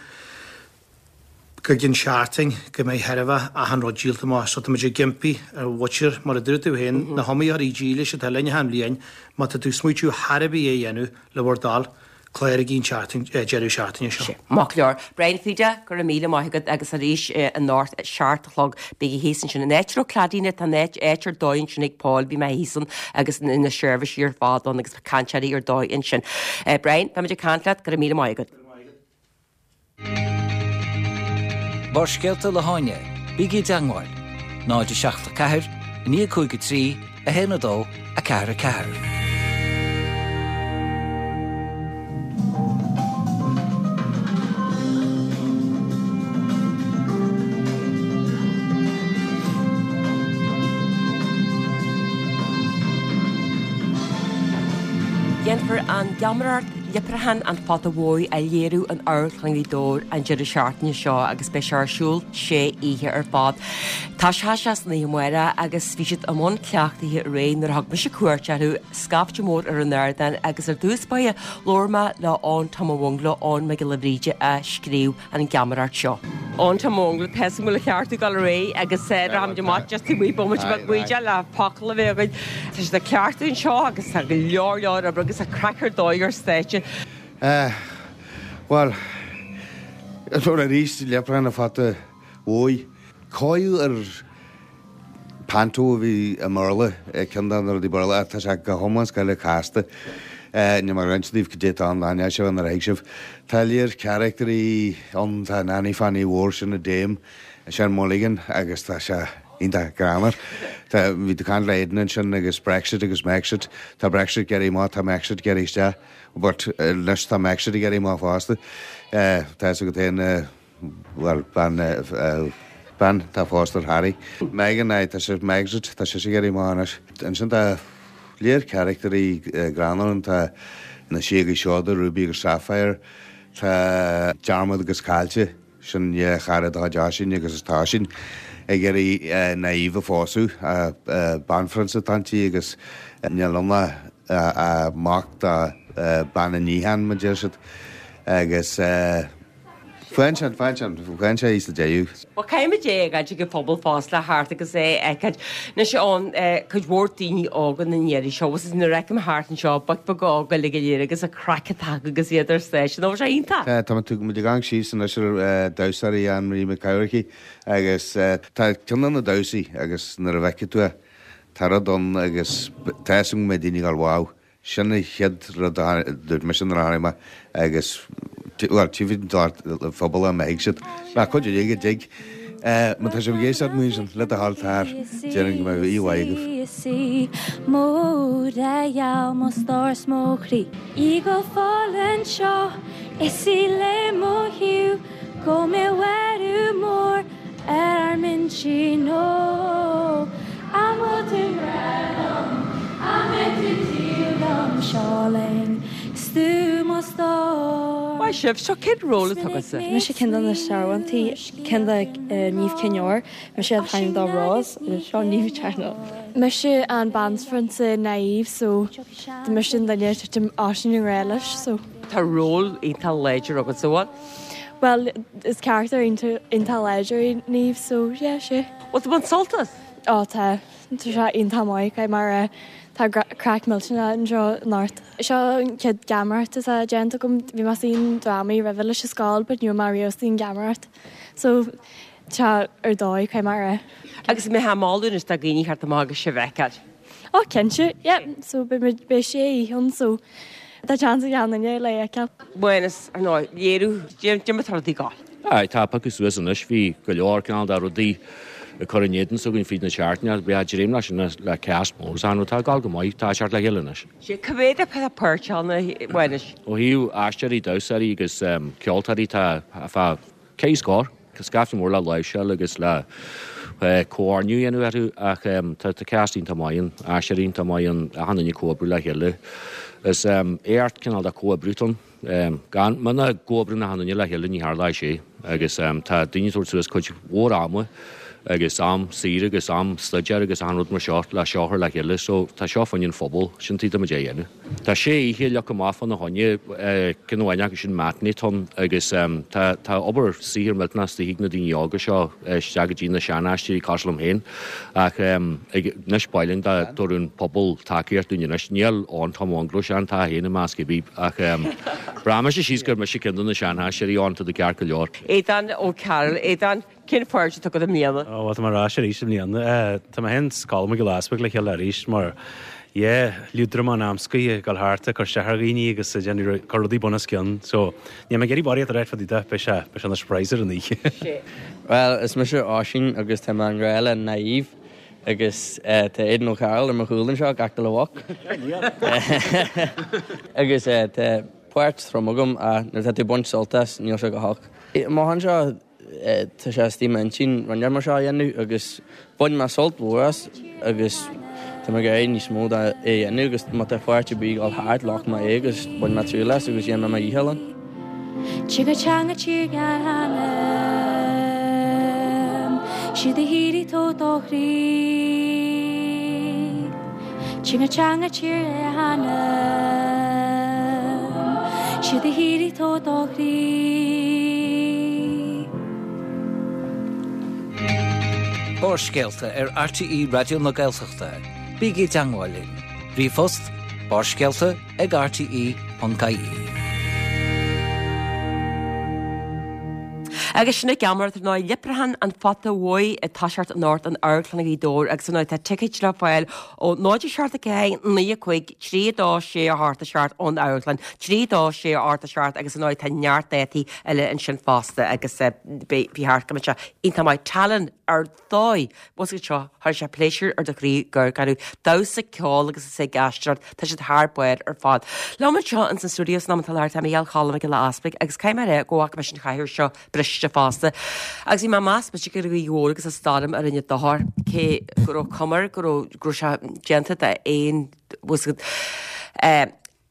go gcionn seachtain go mbeidh thairbhe achan rud díolta amach. So tá muid ag impí ar mhuintir, mar a dúirt tú féin, na hiomaitheoirí dílis atá linn achan bhliain, má tá tú ag smaoitiú thar a bith é a dhéanamh, le bhur dtoil, cláraigí an tseachtain, deireadh seachtaine seo. Maith go leor. Brian Fida, go raibh míle maith agat agus arís anocht a seacht a chlog bígí thíos ansin. An áit a raibh claidín tá an áit áit ar dóigh ansin ag Paul, bhí mé thíos ann agus na seirbhísí ar fad ann agus cainteoirí ar dóigh ansin. Brian, beimid ag caint leat, go raibh míle maith agat. Barrscéalta le hÁine, bígí i dteagmháil, náid a seacht a ceathair, a naoi cúig a trí, a haon a dó, a ceathair a ceathair. Déanfar an gheamaireacht Leipreachán an Phota Mhóir a léiriú in Amharclann Ghaoth Dobhair an deireadh seachtaine seo agus beidh sé ar siúl sé oíche ar fad. Tá sé san oíche amárach agus bhí siad i mbun cleachtaithe aréir nuair a thug mise cuairt orthu, scaifte mór ar an ardán agus ar dtús báire labhair mé le Eoin Tom an Bhungla, Eoin Mac Giolla Bhríde a scríobh an gheamaireacht seo. Eoin Tom an Bhungla, tá a fhios agam go bhfuil an ceart ag dul ar aghaidh agus rachaimid amach just taobh amuigh bomaite beag buíde le focal a bheith againn. Tá siad ag cleachtadh anseo agus tá go leor leor oibre agus tá craic ar dóigh ar stáitse. Bhuel, arís Leipreachán an Phota Mhóir. Cóiriú ar panto a bhí i mBéarla, ceann de na rudaí Béarla, ach tá sé go hiomlán scoile casta. Níl mé ag roinnt daoibh cad é atá ann, aithneoidh sibh nuair a thuig sibh. Tá léir caractairí ann, tá Nanny Fanny Mhór sin a Dame, Sean Mulligan agus tá sé iontach greannmhar. Tá, bhí tú ag caint le Aidan ansin agus Brexit agus Mexit. Tá Brexit ag éirí amach, tá Mexit ag éirí isteach, but anois tá Mexit ag éirí amach fosta. Tá fhios agat féin, bhuel, bean, bean atá phósta ar Harry. Meghan, aye, tá sé, Megxit, tá sise ag éirí amach anois. Ansin tá léir caractairí greannmhar ann, tá na síogaí seoda, Ruby agus Sapphire, tá Diarmuid agus Caillte, Sin dhá chara de chuid Oisín agus is tá Oisín ag iarraidh Niamh a phósadh, banphrionsa atá inti agus níl ann ach mac do bean an níocháin, mar deir siad. Agus faigheann sé, faigheann sé, faigheann sé í sa deireadh. Bhuel, caithfidh muid é a fhágáilt ag an phobal fosta le theacht agus é a fheiceáil. Anois ann, cuid mhór daoine óga na ndeireadh seo, agus nuair a fheicim thart anseo, boic beaga óga uilig go léir agus an craic atá acu agus iad ar stáitse, nó bhí sé iontach! Tá, tá muid ag amharc síos anois ar damhsóirí Anne Marie McCarricky agus tá ceann de na damhsaí agus nuair a bhfeicfidh tú é, tá rud ann agus tá fhios agam go mbeidh daoine ag gabháil wow. Sin an chéad rud a dúirt mise nuair a tháinig mé agus, bhuel, tchífidh an phobal é má thig siad. Ná cuid uilig a dtig. Má tá sibh ag éisteacht amuigh ansin, le do thoil tar, déarfainn go mbeidh oíche mhaith agaibh. Is í mo gheal mo stór 's mo chroí. Í go fóill anseo is í le mo thaobh go mbeidh athrú mór ar ár n-intinn ó an bhfuil tú breá liom an mbeidh tú taobh liom seo linn 's tú mo stór. Maith sibh, seo cén ról atá agatsa? Mise ceann de na searbhóntaí, ceann de Niamh Chinn Óir, mise an t-ainm dó Rose agus seo Niamh Channel. Mise an banphrionsa Niamh so tá mise an duine a titeann Oisín i ngrá leis so. Tá ról iontach láidir agat sa bhfuil? Bhuel, is carachtar iontach láidir í Niamh so yeah, sé. Bhfuil tú ag baint sult as? Ó tá, tá sé iontach maith, caithfidh mé a rá. Tá craic millteanach anseo anocht. Seo an chéad gheamaireacht atá déanta agam, bhí mé istigh i ndrámaí roimhe leis an scoil but ní raibh mé riamh istigh i ngeamaireacht so tá ar dóigh, caithfidh mé a rá. Agus an mbeifeá ag moladh anois do dhaoine theacht amach agus sibh a fheiceáil? Ó cinnte, yeah, so beidh muid, beidh sé oíche ann so tá seans ag achan duine le fheiceáil. Mhánas, ar ndóigh, léiriú, cad é mar atá rudaí ag gabháil. Aye, tá piocadh suas anois, bhí go leor cineál de rudaí ag cur in éadan s'againn fríd na seachtaine, bhí dréim leis sin le cast mór is ann, tá ag gabháil go maith, tá ag teacht le chéile anois. Sé, cá mhéad atá páirteach ann, a Mhánais? Ó thaobh aisteoirí, damhsóirí agus ceoltóirí tá fá ceithre scór. Tá scaifte mór le láimhseáil agus le comhordú a dhéanamh orthu ach tá cast iontach maith ann, aisteoirí iontach maith ann, achan duine ag comhoibriú le chéile. Is éacht cineál de comhoibriú atá ann. Gan, muna gcomhoibríonn achan duine le chéile ní tharlóidh sé agus tá daoine ag tabhairt suas cuid mhór ama agus am saor agus am staidéir agus an rud mar seo le seo a chur le chéile, so tá seo fá choinne an phobal, sin tuigh muid é a dhéanamh. Tá sé oíche leagtha amach fána choinne, ceann amháin acu sin matinee atá ann agus tá tá obair saothar millteanach istigh ag na daoine óga seo isteach go dtí na sean-aisteoirí cosúil liom féin ach anois b'áil linn dá dtabharfadh an pobal tacaíocht dúinn anois. Níl ann Tom Mungro sean tá féin i measc bhí ach bhraith mise síos gur mise ceann de na sean-aisteoirí ann tá tú ceart go leor. Aodán Ó Cearúil, Aodán, Cén pháirt atá agat i mbliana? Ó, bhuel, tá mé ar ais arís i mbliana. Tá mé féin 's Colm Mac Giolla Easbuig le chéile arís mar, yeah, liúdramán amscaí ag dul thart ag cur isteach ar dhaoine agus ag déanamh, cur rudaí bun os cionn. So, níl mé ag iarraidh barraíocht a ráit fá dtaobh de, beidh sé, beidh sé ina surprise ar an oíche. Bhuel, is mise Oisín agus tá mé i ngrá le Niamh agus tá Aidan O'Carroll ar mo chúl anseo, ag actáil a mhac. Agus tá páirt trom agam ach nuair atá tú ag baint sult as, níl sé go holc. Amach anseo, Tá sé istigh i m'intinn rud mar seo a dhéanamh agus bhain mé sult mhór as agus tá mé ag iarraidh níos mó de é a dhéanamh agus má tá páirt ar bith ag dul thart ghlac mé é agus bhain mé triail as agus dhéan mé mo dhícheall ann. Tír teanga tír gan ainm Siúd a shíoraí tó do chroí Tír teanga tír le hainm Siúd a shíoraí tó do chroí. Barrscéalta ar RTÉ Raidió na Gaeltachta. Bígí i dteangmháil linn. Ríomhphost, barrscéalta ag rte ponc ie. Agus sin an gheamaireacht ar ndóigh, Leipreachán an Phota Bhuí ag toiseacht anocht in Amharclann Ghaoth Dobhair agus ar ndóigh tá ticéid le fáil ó náid a seacht a ceathair, naoi a cúig, trí a dó, sé a hocht a seacht ón amharclann, trí a dó, sé a hocht a seacht agus ar ndóigh tá neart dátaí eile ansin fosta agus beidh bhí thart go mbeidh sé iontach maith. Tallann ar dóigh! Bhfuil a fhios agat seo, chuirfeadh sé pléisiúr ar do chroí gur gan damhsa, ceol agus is ag aisteoireacht, tá siad thar barr ar fad. Liom anseo ins an stiúideo san am atá láthair tá Mícheál Cholm Mac Giolla Easpaig agus caithfidh mé a rá go bhfaca mise an chathaoir seo briste fosta. Agus bhí mé ag meas mise gur Ghaoth Dobhair agus an stoirm a rinne dochar, cé go raibh cuma air go raibh go raibh sé déanta d'aon bhfuil a fhios agat eh,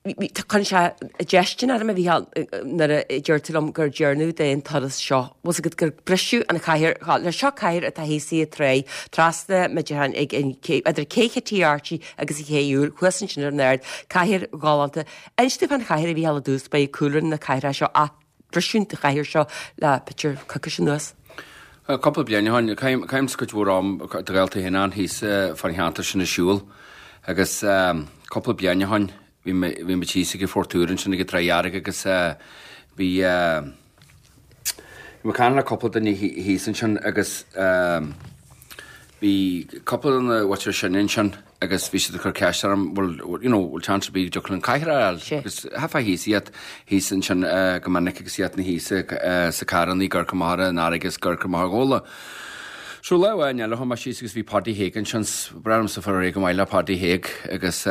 Cuireann sé déistin orm a Mhícheáil nuair a deir tú liom gur deireanach d'aon turas seo. Bhfuil 's agat gur briseadh an chathaoir, le seo cathaoir atá thíos sa tráigh, trasna muid ag an idir Cé Chití Archie agus an Ché Úr, thuas ansin ar an ard, cathaoir ghalánta. Inis domh fán chathaoir a Mhícheáil i dtús, ba é cúlra na cathaoire seo ach briseadh an chathaoir seo le pictiúr coicís anuas. Cúpla bliain ó shin, caithim cuid mhór am do ghaolta féin ann thíos fán cheantar sin ag siúl agus cúpla bliain ó shin bhí mé bhí muid thíos ag an Phort Úr ansin ag an Tráigh Dhearg agus bhí bhí mé ag caint le cúpla duine thíos ansin agus bhí cúpla de na mhuintir sin ansin agus bhí siad ag cur ceist orm bhfuil you know bhfuil chance ar bith go dtiocfadh linn cathaoir a fháil agus theifeá thíos iad thíos ansin go minic agus iad na thíos sa carrannaí ag amharc amach ar an fharraige agus ag amharc amach ar Ghabhla. So lá amháin eile chuaigh mé síos agus bhí Paddy Haig ansin breá liomsa fáil réidh go maith le Paddy Haig agus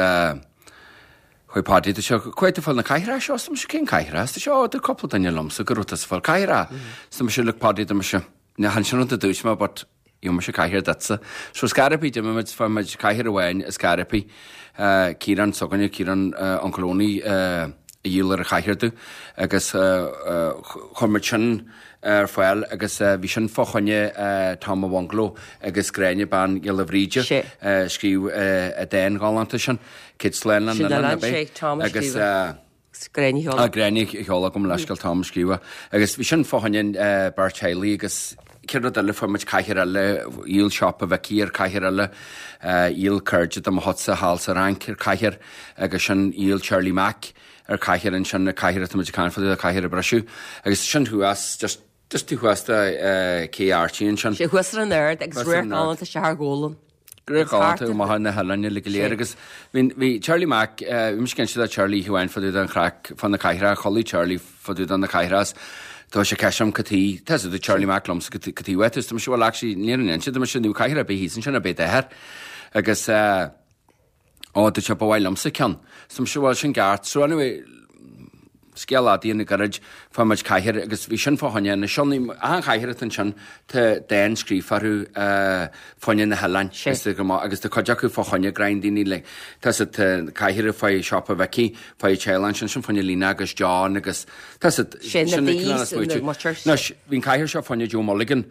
chuaigh Paddy tá sé cá bhfuair tú na cathaoireacha seo Is mise cén cathaoireacha Is tá sé ó dúirt cúpla duine liomsa go raibh tusa ag fáil cathaoireacha Is mise look Paddy tá mise ní chan sin rud a dúirt mé but gheobhaidh mise cathaoir duitse. So ar scor ar bith d'imigh muid fuair muid cathaoir amháin ar scor ar bith Ciarán s'againne Ciarán Uncle Owney a dhíol ar an chathaoir domh agus chuir muid sin ar fáil agus bhí sin fá choinne Tom a' Bhungalow agus Gráinne Bean Ghiolla Bhríde a scríobh an dán galánta sin, Céad Slán len Sin Oileán oileán ab é sé Tom a agus scríobh. Gráinne Sheol. Ah Gráinne Sheol gabh mo leithscéal Tom a scríobh agus bhí sin fá choinne beirt teaghlaigh agus céad rud eile fuair muid cathaoir eile, dhíol siopa Mhicí ar cathaoir eile, dhíol cairde de mo chuidse thall sa Fhrainc ar cathaoir agus sin dhíol Charlie Mac ar cathaoir ansin, na cathaoir atá muid ag caint fá dtaobh, cathaoir a briseadh agus sin thuas just just taobh thuas de Cé Archie ansin. Sé thuas ar an ard agus Thuas ar radharc an ard. galánta isteach ar Ghabhla. Radharc galánta amach ar na hoileáin uilig go léir agus bhí bhí Charlie Mac bhí mise ag inse do Charlie oíche amháin fá dtaobh den chraic fá na cathaoireacha, chodlaigh Charlie fá dtaobh de na cathaoireacha tá sé ceist orm cad chuige tá a Charlie Mac liomsa cad chuige uait is tá mise well actually níl an inse tá mise níl cathaoir ar bith thíos ansin ar bith d'athair agus eh, Ó, dúirt sé, ba mhaith liomsa ceann. So mise, bhuel, sin ceart. So anyway, scéal fhada a dhéanamh gairid, fuair muid cathaoir agus bhí sin fá choinne na sionnaigh, achan chathaoir atá ansin tá dán scríofa orthu fá choinne na hoileáin is go maith agus tá cuid acu fá choinne greim daoine like tá sa tá cathaoir fá siopa Mhicí fá teaghlach ansin sin fá choinne Lena agus John agus tá sa Sin na daoine Anois bhí an cathaoir seo fá choinne Joe Mulligan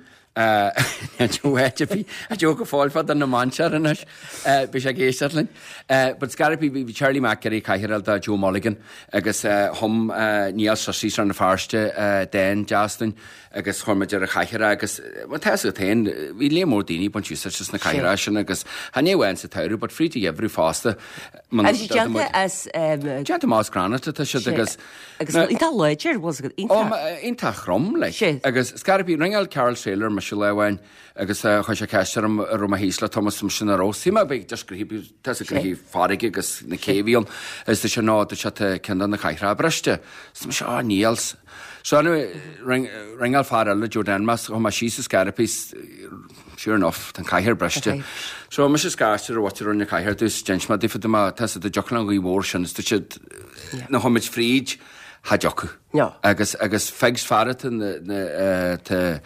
Joe go fóill fá na Mainséar anois bhí sé ag éisteacht linn. But scairbí bhí Charlie Mac ag iarraidh cathaoir a fháil do Joe Mulligan agus chum Niall Sussy Rann na Feirste dán deas dúinn agus chuir muid ar an chathaoir é agus bhuel tá a fhios agat féin bhí líon mór daoine ag baint úsáid as na cathaoireacha sin agus chan é amháin sa tsamhradh but fríd an gheimhreadh fosta. Agus déanta as Déanta amach as granite atá siad agus Agus iontach láidir, bhfuil a fhios agat, iontach. Iontach trom, like. Agus scairbí, ringeáil Karl Traylor mise lá amháin agus chuir sé ceist orm an raibh mé thíos le Thomas mise nach raibh. Shíl mé bheith just gnoithí, tá a fhios agat gnoithí farraige agus na cé a bhí ann. Agus dúirt sé no, dúirt sé tá ceann de na cathaoireacha briste. Is mise, oh níl. So anyway, ringeáil fear eile, Joe Denmas, chuaigh mé síos is scairbí, sure enough, tá an cathaoir briste. So mise scairte ar mhuintir na cathaoir dtús, d'inis mé daofa dá mba, tá a fhios agat, dá dtiocfadh an ghaoth mhór sin, is dúirt siad, nuair a chuaigh muid fríd, cha dtiocfadh. No. Agus, agus Figs fear atá na, na, tá,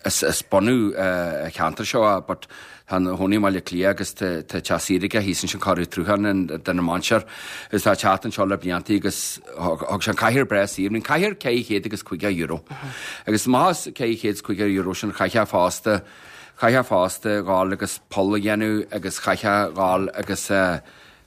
is, is bunadh an cheantair seo é, but tá ina chónaí i mBaile Átha Cliath agus tá, tá teach saoire aige thíos ansin corradh trúthán an, de na Mainséar is tá teacht anseo le blianta agus thug, thug sé an cathaoir breá saor. Bhí an cathaoir ceithre chéad agus caoga euro. Agus amach as ceithre chéad is caoga euro sin chaithfeá fosta, chaithfeá fosta dhul agus poll a dhéanamh agus chaithfeá dhul agus eh,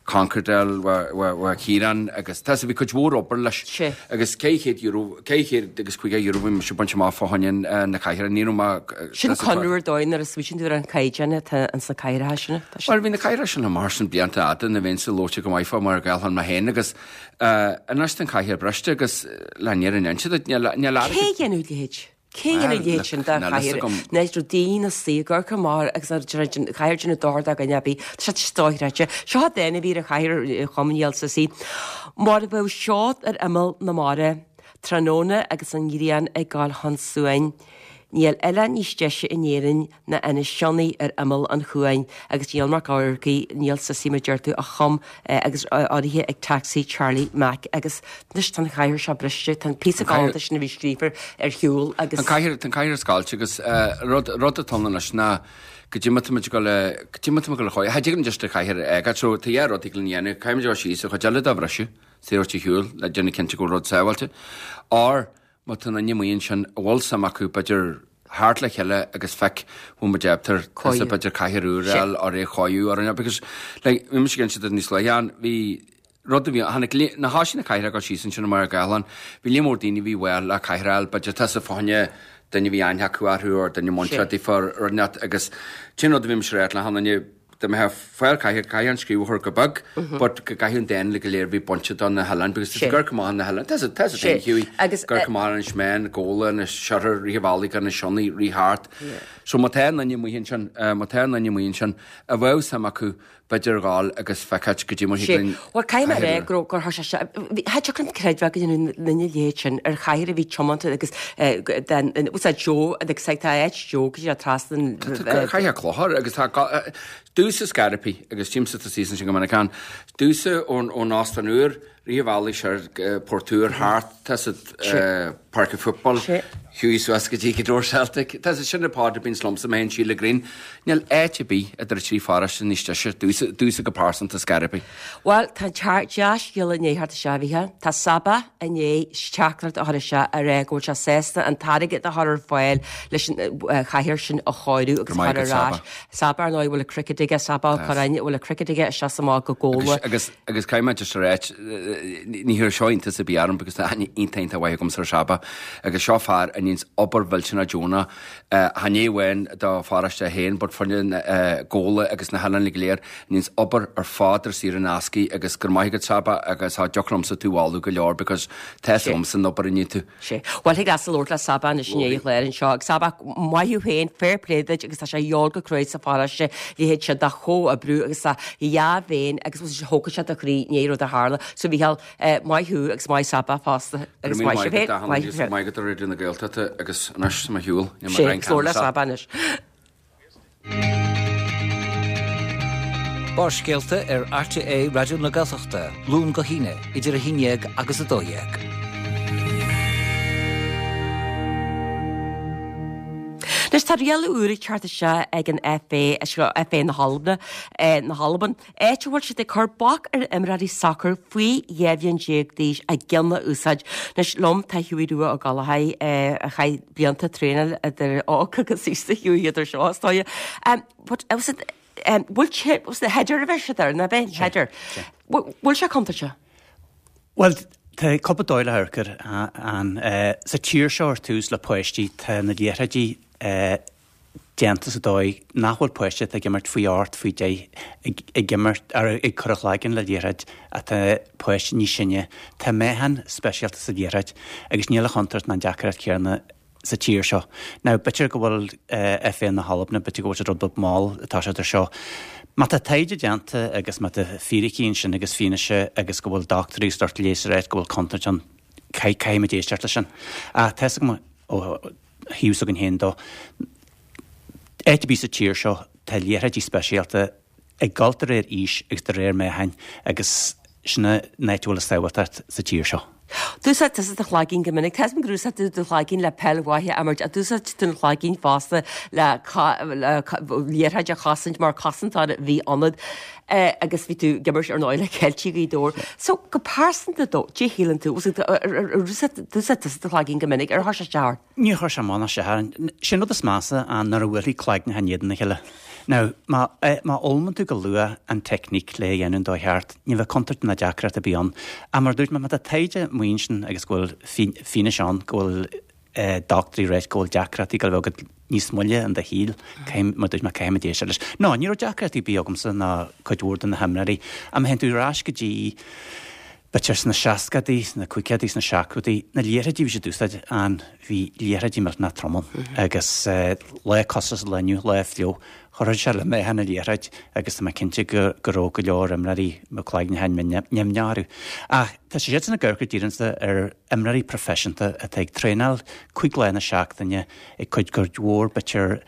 concrete a fháil Ciarán agus tá bhí cuid mhór obair leis agus ceithre chéad euro, ceithre chéad agus caoga euro bhí mise ag baint amach fá choinne na cathaoire, ní raibh mé Sin conradh ar dóigh nuair a smaoitíonn tú ar an caighdeán atá ins na cathaoireacha sin. Bhuel bhí na cathaoireacha sin mar sin blianta fhada na bheinnse labhairt go maith fá mar Ghaeltán mé féin agus anois tá an cathaoir briste agus le an fhírinne duit níl níl Cé a dhéanfadh a leithéid? Cé a dhéanfadh a leithéid sin de chathaoir nach raibh daoine suí ag amharc amach agus an chathaoir déanamh dochar do dhuine ar bith. Tá sé dochreidte. Seo dán a bhí ar an chathaoir a chum Niall Sussy. Mar a bheadh seod ar imeall na mara, tráthnóna agus an ghrian ag gabháil chun suain. Níl oileán níos deise in Éirinn ná Inis Sionnaigh ar imeall an chuain agus Niall Mac Eachmharcaigh, Niall Sussy mar deir tú, a chum agus urraithe ag Taxi Charlie Mac agus anois tá an chathaoir seo briste, tá an píosa galánta sin a bhí scríofa ar shiúl agus. An cathaoir, tá an cathaoir oscailte agus rud, rud atá ann anois ná go dtí má tá muid ag dul a, go dtí má tá muid ag dul a chóir, cha dtig linn just an chathaoir a fhágáil so tá dhá rud a thig linn a dhéanamh, caithfidh muid a dhul síos an chuid eile de a bhriseadh, saor ar shiúl le déanamh cinnte go bhfuil rud sábháilte or má tá duine amuigh ansin a bhfuil suim acu b'fhéidir theacht le chéile agus feic bhfuil muid ábalta tusa b'fhéidir cathaoir úr a fháil or é a chóiriú or an because like bhí mise ag inse duit níos luaithe ann bhí rud a bhí tháinig lí na háiseanna na cathaoireacha ag dul síos ansin i mBaile Gálan bhí líon mór daoine a bhí bhuel le cathaoir a fháil b'fhéidir tusa fá choinne duine a bhí aithne acu orthu or duine muinteartha daofa or rud inteacht agus sin rud a bhí mise ag ráit le hachan duine Dá mbeifeá ag fáil cathaoir, caithfidh an scríobh a chur go beag, but go gcaithfidh an dán uilig go léir a bhí bainte do na hoileáin, because tá ag amharc amach ar na hoileáin, tá tá a fhios agat Hughie, ag amharc amach ar Inis Meáin, Gabhla, Inis Oirthir, rith an bhealaigh go Inis Sionnaigh, rith thart. So má tá duine amuigh ansin, má tá duine amuigh ansin, a bheadh suim acu, b'fhéidir dhul agus feiceáilt goidé mar thig linn Bhuel, caithfidh mé a rá go raibh, gur chuir sé sé, cha dtiocfadh liom creidbheáil go ndéanfadh duine a leithéid sin ar chathaoir a bhí tiomanta agus den, what's that, Joe, agus tá áit Joe go dtí trasna an. Tá cathaoir clochar agus tá domhsa Scaripi agus tímsa tá season sin go minic ann, domhsa ón ón Óstán Úr, rith an bhealaigh siar Port Úr thart, tá sa Páirc an Football, Hughie suas go dtí Gweath Dobhair Celtic, tá sa sin na Pádraig a bíonns liomsa mé féin Síle Green, níl áit ar bith idir trí pharóiste níos deise, domhsa, domhsa go pearsanta Scaripi. Bhuel, tá an dea-scéala i ndiaidh theacht isteach, a Mhícheáil. Tá Saba i ndiaidh teachtaireacht a chur isteach a rá go bhfuil sé sásta an t-airgead a chur ar fáil leis an chathaoir sin a chóiriú agus a chur ar ais. Saba, ar ndóigh, a bhfuil an cricket aige, Saba Ó Curráin, a bhfuil an cricket aige isteach is amach go Gabhla. Agus, agus caithfidh mé just a ráit, ní chuirfidh seo iontas ar bith orm because tá aithne iontach iontach mhaith agamsa ar Saba agus seo fear a níonns obair mhillteanach deonach, chan é amháin do pharóiste féin but fá choinne Gabhla agus na hoileáin go léir, a níonns obair ar fad ar saor in aisce agus go raibh maith agat Saba agus cha dtiocfadh liomsa tú a mholadh go leor because tá 'fhios agamsa an obair a níonn tú. Sea. Bhuel, thig leatsa labhairt le Saba anois i ndiaidh an chláir anseo. Agus Saba, maith thú féin, fair play duit agus tá sé a dhíobháil go cruaidh sa pharóiste, leithéid sin de chomhoibriú agus de dhea-mhéin agus thógfadh sé do chroí i ndiaidh rud a tharla. So, Mhícheál, maith thú agus maith Saba fosta agus maith sibh féin. Maith agat, maith agat a Raidió na Gaeltachta agus anois tá mé ar shiúl. Sea, agus labhair le Saba anois. Barrscéalta ar RTÉ Raidió na Gaeltachta, Luan go hAoine, idir a haon dhéag agus a dó dhéag. Anois tá riail úr ag teacht isteach ag an FA, seo FA na hAlban, na hAlban, áit a bhfuil siad ag cur bac ar imreoirí sacair faoi dhá bhliain déag d'aois a gceann a úsáid. Anois liom tá Hughie Rua Ó Gallchóir a chaith blianta traenáil idir óg agus aosta Hughie idir seo is dóigh. But was it bhfuil sé was the header a bheith siad ar na bheith header. Bhfuil sé contúirteach? Bhuel, tá cúpla dóigh le hamharc air ann. Sa tír seo ar tús le páistí tá na liathróidí déanta sa dóigh nach bhfuil páiste atá ag imirt faoi ocht, faoi deich ag imirt ar ag cur a chloigeann le liathróid atá páiste níos sine. Tá meáchan speisialta sa liathróid agus níl an chontúirt ná an deacracht chéanna sa tír seo. Now, b'fhéidir go bhfuil FA na hAlban, b'fhéidir go bhfuil siad rud beag mall atá siad ar seo. Má tá taighde déanta agus má tá fíricí ansin agus fianaise agus go bhfuil dochtúirí is lucht leighis ag ráit go bhfuil contúirt ann, caithfimid éisteacht leis sin. Ach tá 'fhios agam ó thaobh s'againn féin dó, áit ar bith sa tír seo tá liathróidí speisialta ag dul de réir aois agus de réir meáchain agus sin an áit a bhfuil an tsábháilteacht sa tír seo. D'úsáid tusa do chloigeann go minic. Tá 'fhios agam gur úsáid tú do chloigeann le peil mhaith a imirt ach d'úsáid tú an chloigeann fosta le liathróid a chosaint mar cosantóir a bhí ionat agus bhí tú ag imirt ar ndóigh le Ceiltigh Ghaoth Dobhair. So go pearsanta dó, cad é a shíleann tú, d'úsáid tusa do chloigeann go minic, ar chuir sé isteach ort? Níor chuir sé amach ná isteach orm. Sin rud is measa ná nuair a bhuailfidh cloigneacha in éadan a chéile. Now, má má fhoghlaimíonn tú go luath an teicníc le é a dhéanamh an dóigh cheart, ní bheidh contúirt ná deacracht ar bith ann. Ach mar a dúirt mé, má tá taighde amuigh ansin agus go bhfuil fianaise ann go bhfuil dochtúirí ag ráit go bhfuil deacrachtaí ag dul a bheith agat níos moille in do shaol, caithfidh, mar a dúirt mé, caithfimid éisteacht leis. No, ní raibh deacrachtaí ar bith agamsa ná cuid mhór de na himreoirí. Ach má théann tú ar ais go dtí b'fhéidir sna seascadaí, sna caogaidí, sna seachtóidí, na liathróidí a bhí siad ag úsáid ann, bhí liathróidí millteanach trom ann agus lá cosúil leis an lá inniu, lá fliuch, chuirfeadh sé le meáchan na liathróid agus tá mé cinnte go go raibh go leor imreoirí mo chloigne nimhneach orthu. Ach tá siadsan ag amharc go díreach ar imreoirí proifisiúnta atá ag traenáil cúig lá na seachtaine ag cur cuid mhór b'fhéidir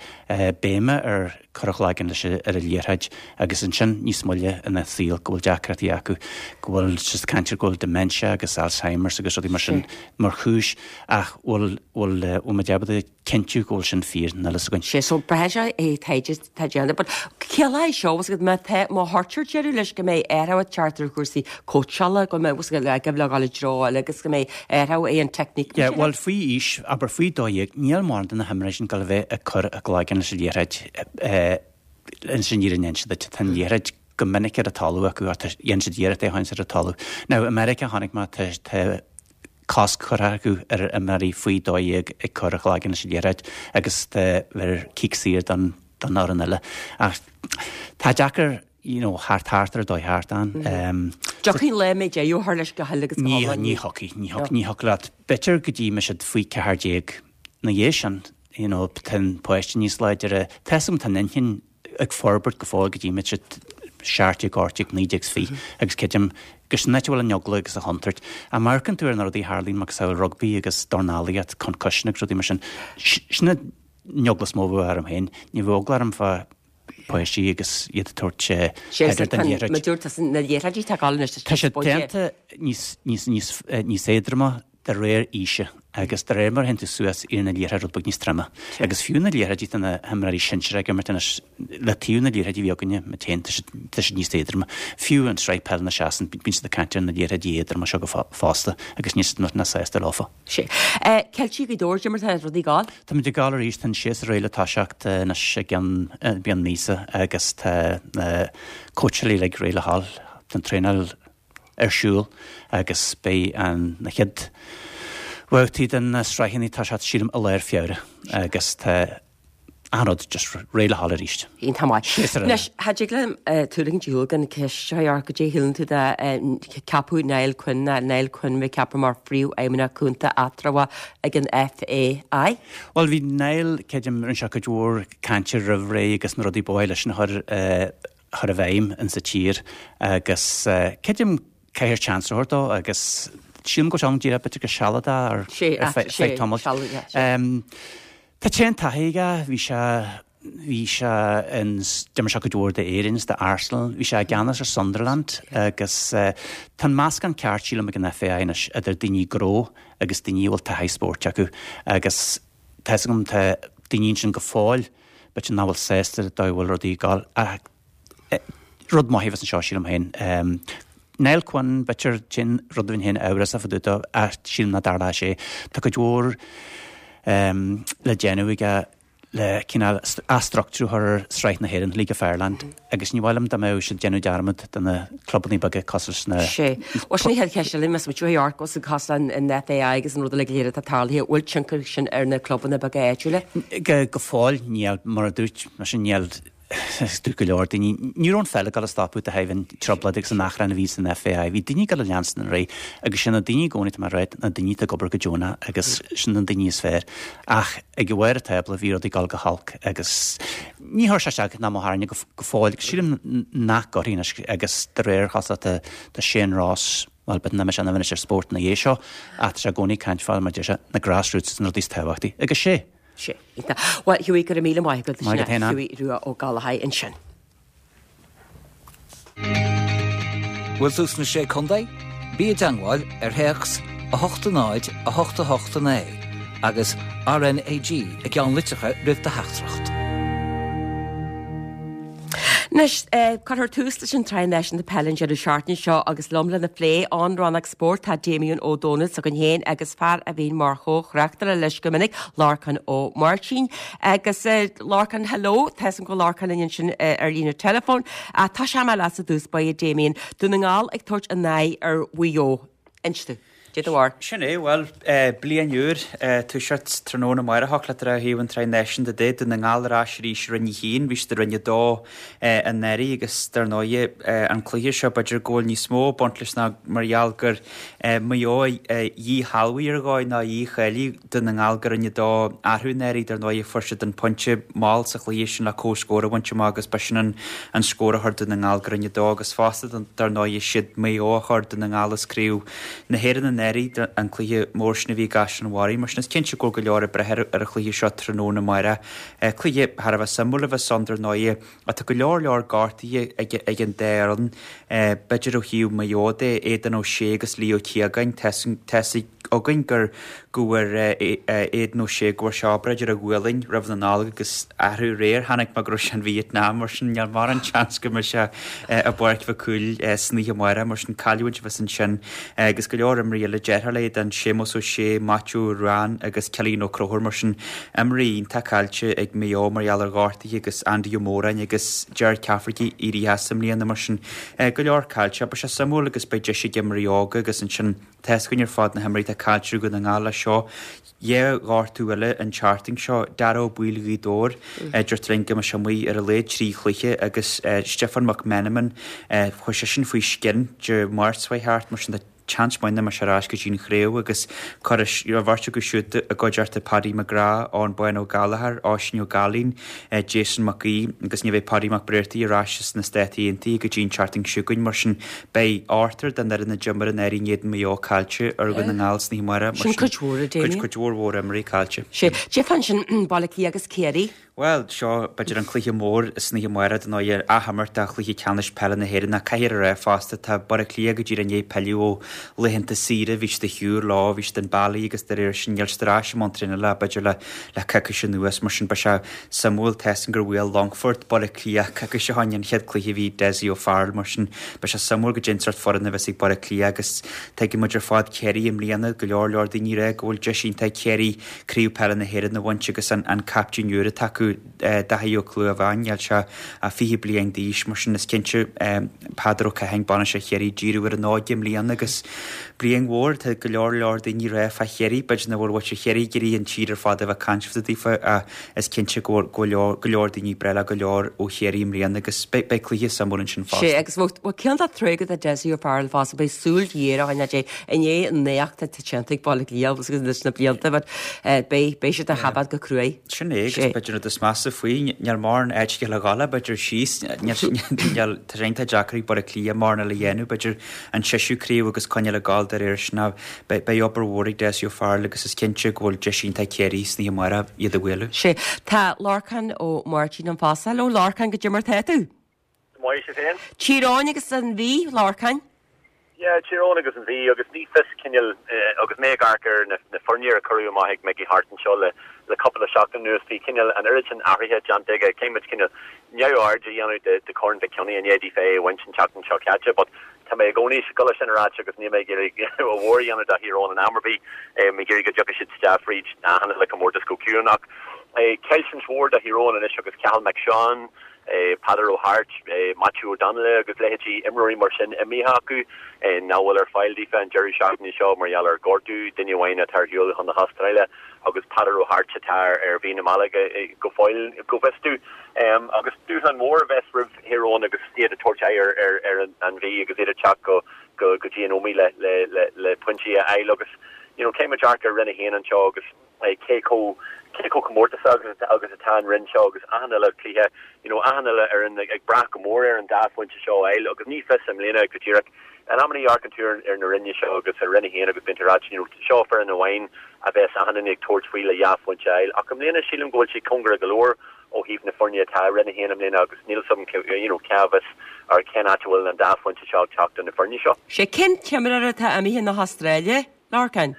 béime ar cur a chloigeann leis ar an liathróid agus ansin níos moille ina saol go bhfuil deacrachtaí acu, go bhfuil siad ag caint ar go bhfuil dementia agus Alzheimer's agus rudaí mar sin mar chúis ach bhfuil bhfuil bhfuil muid ábalta cinntiú go bhfuil sin fíor, níl a fhios againn. Sé so braithfidh sé é taighde atá déanta but ciallaíonn seo was má tá má chuirtear deireadh leis go mbeidh athrú ag teacht ar chúrsaí cóitseála go mbeidh was le go le i dtreo eile agus go mbeidh athrú é an teicníc. Yeah, bhuel faoi aois, abair faoi dó dhéag, níl mórán de na himreoirí sin ag dul a bheith ag cur a gcloigeann leis an liathróid ansin ní an siad duit, tá an liathróid go minic ar an talamh acu ach dhéan siad iarracht é a choinneáil ar an talamh. Now, i Meiriceá chonaic mé tá tá cosc curtha acu ar imreoirí faoi dó dhéag ag cur a chloigeann leis an liathróid agus tá bheir cic saor don don fhoireann eile. Ach tá deacair you know, thart thart ar dóigh thart ann. Dtiocfaidh lá a mbeidh deireadh á chur leis go huile agus go Ní hiomlán? ní thiocfaidh, ní thiocfaidh, ní thiocfaidh leat. B'fhéidir go dtí mbeidh siad faoi ceathair déag. Ina dhiaidh sin, you know, tá an páiste níos láidre. Tá 'fhios agam tá an inchinn ag forbairt go fóill go dtí mbeidh siad seacht déag, ocht déag, naoi déag is fiche agus creidim gur sin an áit a bhfuil an eagla agus an chontúirt. Ach má amharcann tú ar na rudaí a tharlaíonn macasamhail rugbaí agus dornálaíocht, concussion agus rudaí mar sin, sin an eagla is mó a bheadh orm féin. Ní bheadh eagla orm fá páistí agus iad ag tabhairt header den liathróid. Mar dúirt tusa na liathróidí atá ag dul anois Tá siad déanta níos níos níos níos éadroma de réir aoise agus de réir mar a théann tú suas éiríonn an liathróid rud beag níos troime. Agus fiú na liathróidí atá na himreoirí sinsir ag imirt anois le taobh na liathróidí a bhí againne muid féin tá siad tá siad níos éadroime. Fiú an sraith peile na seasann bíonn siad ag caint ar na liathróidí éadroma seo go fosta agus níl siad millteanach sásta leofa. Sé. Ceiltigh Ghaoth Dobhair, cad é mar tá rudaí ag gabháil? Táimid ag gabháil arís, tá an séasúr réidh le toiseacht anois i gceann beag míosa agus tá na cóitseálaí uilig réidh le ghabháil, tá an traenáil ar siúl agus beidh an na chéad bhabhtaí den na sraitheanna ag toiseacht sílim i lár Feabhra agus tá achan rud just réidh le ghabháil arís. Iontach maith. Séasúr eile. Anois, cha dtig liom tú a ligint ar shiúl gan ceist a chur ort, cad é a shíleann tú de ceapadh Niall Quinn, ná Niall Quinn a bheith ceaptha mar Phríomhfheidhmeannach Cúnta eatramhach ag an FAI? Bhuel bhí Niall, creidim, rinne sé cuid mhór cainte roimh ré agus na rudaí ba mhaith leis a chur chur i bhfeidhm insa tír agus creidim caithfear chance a thabhairt dó agus sílim go bhfuil sé ann díreach b'fhéidir go sealadach ar ar feadh tamaill. Tá tréan taithí aige, bhí sé bhí sé in d'imir sé cuid mhór d'Éirinn is d'Arsenal, bhí sé i gceannas ar Sunderland agus tá an meascán ceart sílim ag an FAI anois idir daoine gnó agus daoine a bhfuil taithí spóirt acu agus tá 'fhios agam tá daoine ansin go fóill, b'fhéidir nach bhfuil sásta le dóigh a bhfuil rudaí ag dul ach rud maith a bheas anseo, sílim féin. Niall Quinn, b'fhéidir, sin rud a bheinn féin amhrasach fá dtaobh dó ach sílim nach dtarlóidh sé. Tá cuid mhór le déanamh aige le cineál athstruchtúrú a chur ar Sraith na hÉireann, League of Ireland, agus ní mhaith liom dá mbeadh siad ag déanamh dearmad de na clubanna beaga cosúil leis na. Sé. Bhuel, sin an chéad cheist eile, más muid ó York, os cás an FAI agus an rud uilig go léir atá tarlaithe, bhfuil tionchar sin ar na clubanna beaga áitiúla? Go fóill, níl, mar a dúirt, mar sin níl, dúirt go leor daoine, ní raibh an pheil ag dul a stopadh de thaobh an trioblóid agus an achrann a bhí san FAI. Bhí daoine ag dul a leanstan ar aghaidh agus sin na daoine i gcónaí, tá mé ag rá, na daoine atá ag obair go deonach agus sin na daoine is fearr. Ach ag barr an tábla bhí rudaí ag dul go holc agus ní chuir sé isteach ná mo thairne go fóill agus sílim nach gcuirfidh anois agus de réir chosúlachta tá Shane Ross, bhuel b'fhéidir nach mbeidh sé in ann anois ar spórt ina dhiaidh seo ach tá sé i gcónaí ag caint fá mar deir sé, na grassroots is na rudaí is tábhachtaí agus sé. Sé. Iontach. Bhuel, Hughie, go raibh míle maith agat. Maith agat féin, Ann. Hughie Rua Ó Gallchóir ansin. Bhfuil tú sna Sé Contae? Bí i dteangmháil ar théacs a hocht a náid a hocht a hocht a naoi agus RnaG i gceannlitreacha roimh do theachtaireacht. Anois, cuirfear tús leis an tSraith Náisiúnta Peile an deireadh seachtaine seo agus liom lena phlé ón rannóg spóirt tá Damien Ó Dónaill s'againn féin agus fear a bhíonn mar chomh-thráchtaire leis go minic, Lorcán Ó Máirtín. Agus Lorcán, hello, tá 'fhios a'm go bhfuil Lorcán linn ansin ar líne teileafóin. Tosóidh mé leatsa i dtús báire, Damien. Dún na nGall ag tabhairt a n-aghaidh ar Mhaigh Eo. Inis domh. Dé do bharr. Sin é, bhuel, bliain úr, toiseacht tráthnóna amárach le trá thaobh an tSraith Náisiúnta de, Dún na nGall ar ais arís i Roinn a hAon, bhí siad i Roinn a Dó anuraidh agus dar ndóighe an cluiche seo b'fhéidir go bhfuil níos mó ag baint leis ná mar gheall gur Maigh Eo a dhíshealbhaigh ar dhóigh ná a dhícháiligh Dún na nGall go Roinn a Dó orthu anuraidh, dar ndóighe fuair siad an pointe mall sa chluiche sin le comhscór a bhaint amach agus ba sin an an scór a chuir Dún na nGall go Roinn a Dó agus fosta dar ndóighe siad Maigh Eo a chuir Dún na nGall as craobh na hÉireann anuraidh, an cluiche mór sin a bhí i gCaisleán an Bharraigh. Mar sin is cinnte go bhfuil go leor ag breith ar an chluiche seo tráthnóna amárach. Cluiche thar a bheith suimiúil a bheas ann dar ndóighe ach tá go leor leor gortuithe ag an dá fhoireann. B'fhéidir ó thaobh Maigh Eo de, Aidan O'Shea agus Leo Keogan, tá 'fhios againn gur go bhfuair Aidan O'Shea go bhfuair sé obráid ar a ghualainn roimh na Nollag agus arú aréir chonaic mé go raibh sé in Vietnam mar sin níl mórán seans go mbeidh sé i bPáirc Mhic Cumhaill san oíche amárach mar sin cailliúint a bheas ansin agus go leor imreoirí eile deartháir le Aidan, Séamus O'Shea, Maitiú Ruane agus Cillian Ó Conchúir mar sin imreoirí iontach caillte ag Maigh Eo mar gheall ar ghortuithe agus Andy Ó Móráin agus Ger Cafferkey éirithe as i mbliana mar sin go leor caillte. Beidh sé suimiúil agus beidh deis ag imreoirí óga agus ansin Tá 'fhios againn ar fad na himreoirí atá caillte ag Dún na nGall leis seo. Dhá ghortú eile an tseachtain seo, Dara Ó Baoill Ghaoth Dobhair, deirtear linn go mbeidh sé amuigh ar a laghad trí chluiche agus Stiofán Mac Meanman, chuaigh seisean faoi scian Dé Máirt seo chuaigh thart, mar sin tá seans maith nach mbeidh sé ar ais go dtí an chraobh agus cuirfidh an bheirt acu siúd i gcuideachta Paddy McGrath, Eoin Bán Ó Gallchóir, Oisín Ó Gailín, Jason Mac Aoidh agus ní bheidh Paddy Mac Bréartaigh ar ais as na Stáit Aontaithe go dtí an tseachtain seo chugainn, mar sin beidh ochtar den fhoireann a d'imir anuraidh in éadan Mhaigh Eo caillte ar Dhún na nGall san oíche amárach, mar Sin cuid mhór, a Damien. Cuid mhór mhór imreoirí caillte. Sé. Cad é fá ansin Baile Átha Cliath agus Ciarraí. Bhuel, seo b'fhéidir an cluiche mór san oíche amárach, dar ndóigh, athimirt de chluiche ceannais peile na hÉireann ach caithfear a rá fosta, tá Baile Átha Cliath go díreach i ndiaidh pilleadh ó laethanta saoire, bhí siad ar shiúl leo, bhí siad in Bali agus de réir sin níl siad ar ais i mbun traenála ach b'fhéidir le le coicís anuas, mar sin beidh sé suimiúil, tá 'fhios againn gur bhuail Longfort Baile Átha Cliath coicís ó shin, an chéad cluiche a bhí Dessie O'Farrell, mar sin beidh sé suimiúil goidé an sórt foireann a bheas ag Baile Átha Cliath agus tuigeann muid ar fad Ciarraí i mbliana, go leor leor daoine ag rá go bhfuil deis iontach ag Ciarraí Craobh Peile na hÉireann a bhaint agus an captaen úr atá acu, Daithí Ó Clúmháin, níl sé ach fiche bliain d'aois, mar sin is cinnte Peadar Ó Catháin, bainisteoir Chiarraí, díriú ar an óige i mbliana agus bliain mhór, tá go leor leor daoine ag rá fá Chiarraí, b'fhéidir nach bhfuil muintir Chiarraí ag iarraidh an tír ar fad a bheith ag caint fá dtaobh ach is cinnte go bhfuil go leor daoine ag breith le go leor ó Chiarraí i mbliana agus beidh cluiche suimiúil ansin fosta. Sea, agus bhuel cén dá troigh do Dessie O'Farrell fosta, beidh súil ghéar á choinneáil air i ndiaidh an éacht atá déanta ag Baile Átha Cliath agus leis na blianta but beidh beidh siad á choimeád go cruaidh. Sin é agus b'fhéidir rud is measa faoi, níl mórán áit aige le dhul, b'fhéidir síos, níl, tá sé iontach deacair ag Baile Átha Cliath mórán eile a dhéanamh, b'fhéidir an seisiú craobh agus coinneáil ag gabháil de réir sin ach beidh beidh obair mhór ag Dessie O'Farrell agus is cinnte go bhfuil deis iontach ag Ciarraí san oíche amárach iad a bhualadh. Sea, tá Lorcán Ó Máirtín ann fosta. Hello Lorcán, goidé mar tá tú? Maith sibh féin? Tír Eoghain agus an Mhí, Lorcáin. Yeah, Tír Eoghain agus an Mhí agus ní fios cineál agus mé ag amharc ar na na foirne a cuireadh amach ag Mickey Harte anseo le le cúpla seachtain anuas bhí cineál an oiread sin athraithe déanta aige caithfidh muid cineál neamhaird a dhéanamh de de Corn Mhic Cionnaith i ndiaidh daofa é a bhaint an tseachtain seo caite but tá mé i gcónaí ag dul sin a ráit agus níl mé ag iarraidh a mhór a dhéanamh de Thír Eoghain in am ar bith mé ag iarraidh go dtiocfaidh siad isteach fríd achan uile comórtas go ciúin ach caillteanas mhór do Thír Eoghain anois agus Cathal McSean Peadar Ó hAirt, Maitiú Ó Donnaile agus leithéidí imreoirí mar sin imithe acu nach bhfuil ar fáil daofa an deireadh seachtaine seo mar gheall ar ghortú, duine amháin atá ar shiúl chun na hAstráile agus Peadar Ó hAirt atá ar mhí na mbealach go fóill go bhfios domh. Agus dúshlán mór a bheas roimh Thír Eoghain agus iad ag tabhairt aghaidh ar an Mhí agus iad ag teacht go dtí an Ómaigh le pointí a fháil agus you know caithfidh muid amharc ar Roinn a haon anseo agus cé chomh cé chomh comórtasach agus agus atá an roinn seo agus achan uile cluiche you know achan uile fhoireann ag ag brath go mór ar an dá phointe seo a fháil agus ní fios i mbliana go díreach in amanna amharcann tú ar ar na roinne seo agus ar roinn a haon agus bíonn tú ag ráit you know seo foireann amháin a bheas achan duine ag tabhairt faoi le dhá phointe a fháil ach i mbliana sílim go bhfuil sé cóngarach go leor ó thaobh na foirne atá i roinn a haon i mbliana agus níl 'fhios agam you know cá bhfios ar cén áit a bhfuil an dá phointe seo ag teacht do na foirne seo. Sé cén t-imreoir atá imithe na hAstráile, Lorcán?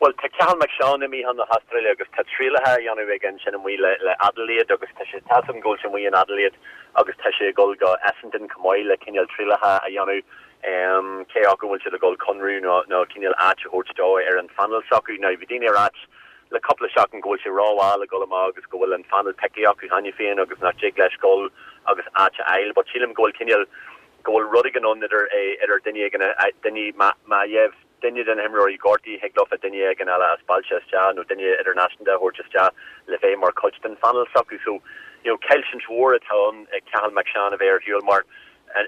Bhuel, tá Cathal McSean imithe chun na hAstráile agus tá trialacha á dhéanamh aige ansin amuigh le le Adelaide agus tá sé tá 'fhios agam go bhfuil sé amuigh in Adelaide agus tá sé ag dul go Essendon chomh maith le cineál trialacha a dhéanamh um, cé acu bhfuil siad ag dul conradh nó nó cineál áit a thabhairt dó ar an phainéal s'acu. Now bhí daoine ag ráit le cúpla seachtain go bhfuil sé rómhall ag dul amach agus go bhfuil an phainéal pioctha acu cheana féin agus nach dtig leis dul agus áit a fháil, but sílim go bhfuil cineál go bhfuil rud éigin ann idir idir duine éigin duine má gheibh duine de na himreoirí gortaithe thig leofa duine éigin eile as bailte isteach nó duine idirnáisiúnta a thabhairt isteach le bheith mar chuid den phainéal s'acu. So, you know, caillteanas mhór atá ann ag Cathal McSean a bheith ar shiúl mar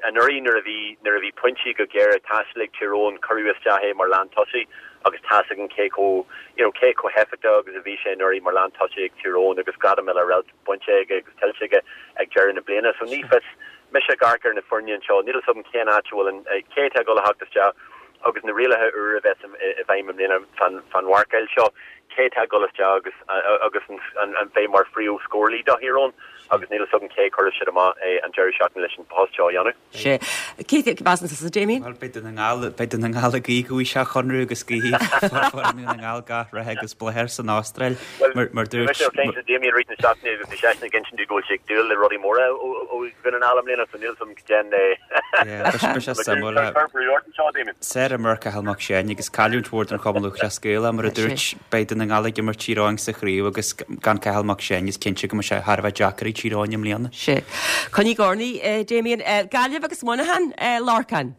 anuraidh nuair a bhí nuair a bhí pointí go géar ag teastáil ag Tír Eoghain cuireadh isteach é mar lántosaí agus tá's againn cé chomh you know, cé chomh héifeachtach agus a bhí sé anuraidh mar lántosaí ag Tír Eoghain agus gradam uile bainte aige agus tuillte aige ag deireadh na bliana. So ní fios mise ag amharc ar na foirne anseo, níl 'fhios agam cén áit a bhfuil an cé atá ag dul a theacht isteach agus na rialacha úr a bheas i bhfeidhm i mbliana fan fan mharcáil seo, cé atá ag dul isteach agus agus an an bheidh mar phríomh-scórálaí do Thír Eoghain agus níl 'fhios agam cé chuirfidh siad amach an deireadh seachtaine leis an post seo a dhéanamh. Sé. Cé measann tusa, Damien? Bhuel, beidh Dún na nGall, beidh Dún na nGall ag guí go bhfaighidh sé conradh agus go bhfaighidh foireann Dhún na nGall gach rath agus bláth air san Astráil mar mar Bhí mise ag caint le Damien rith na seachtaine agus bhí seisean ag insint go bhfuil sé ag dúil le rudaí móra ó ó Dhún na nGall i mbliana so níl 'fhios agam cén Beidh sé suimiúil. Cuir brú ort anseo, Damien. Sárimeoir Cathal Mac Seáin agus cailliúint mhór don Chumann Lúthchleas Gael mar a dúirt beidh Dún na nGall ag imirt Tír Eoghain sa chraobh agus gan Cathal Mac Seáin is cinnte go mbeidh sé thar a bheith deacair ag Tír Eoghain i mbliana. Sé. Coinnigh urnaí, Damien. Gaillimh agus Muineachán, Lorcán.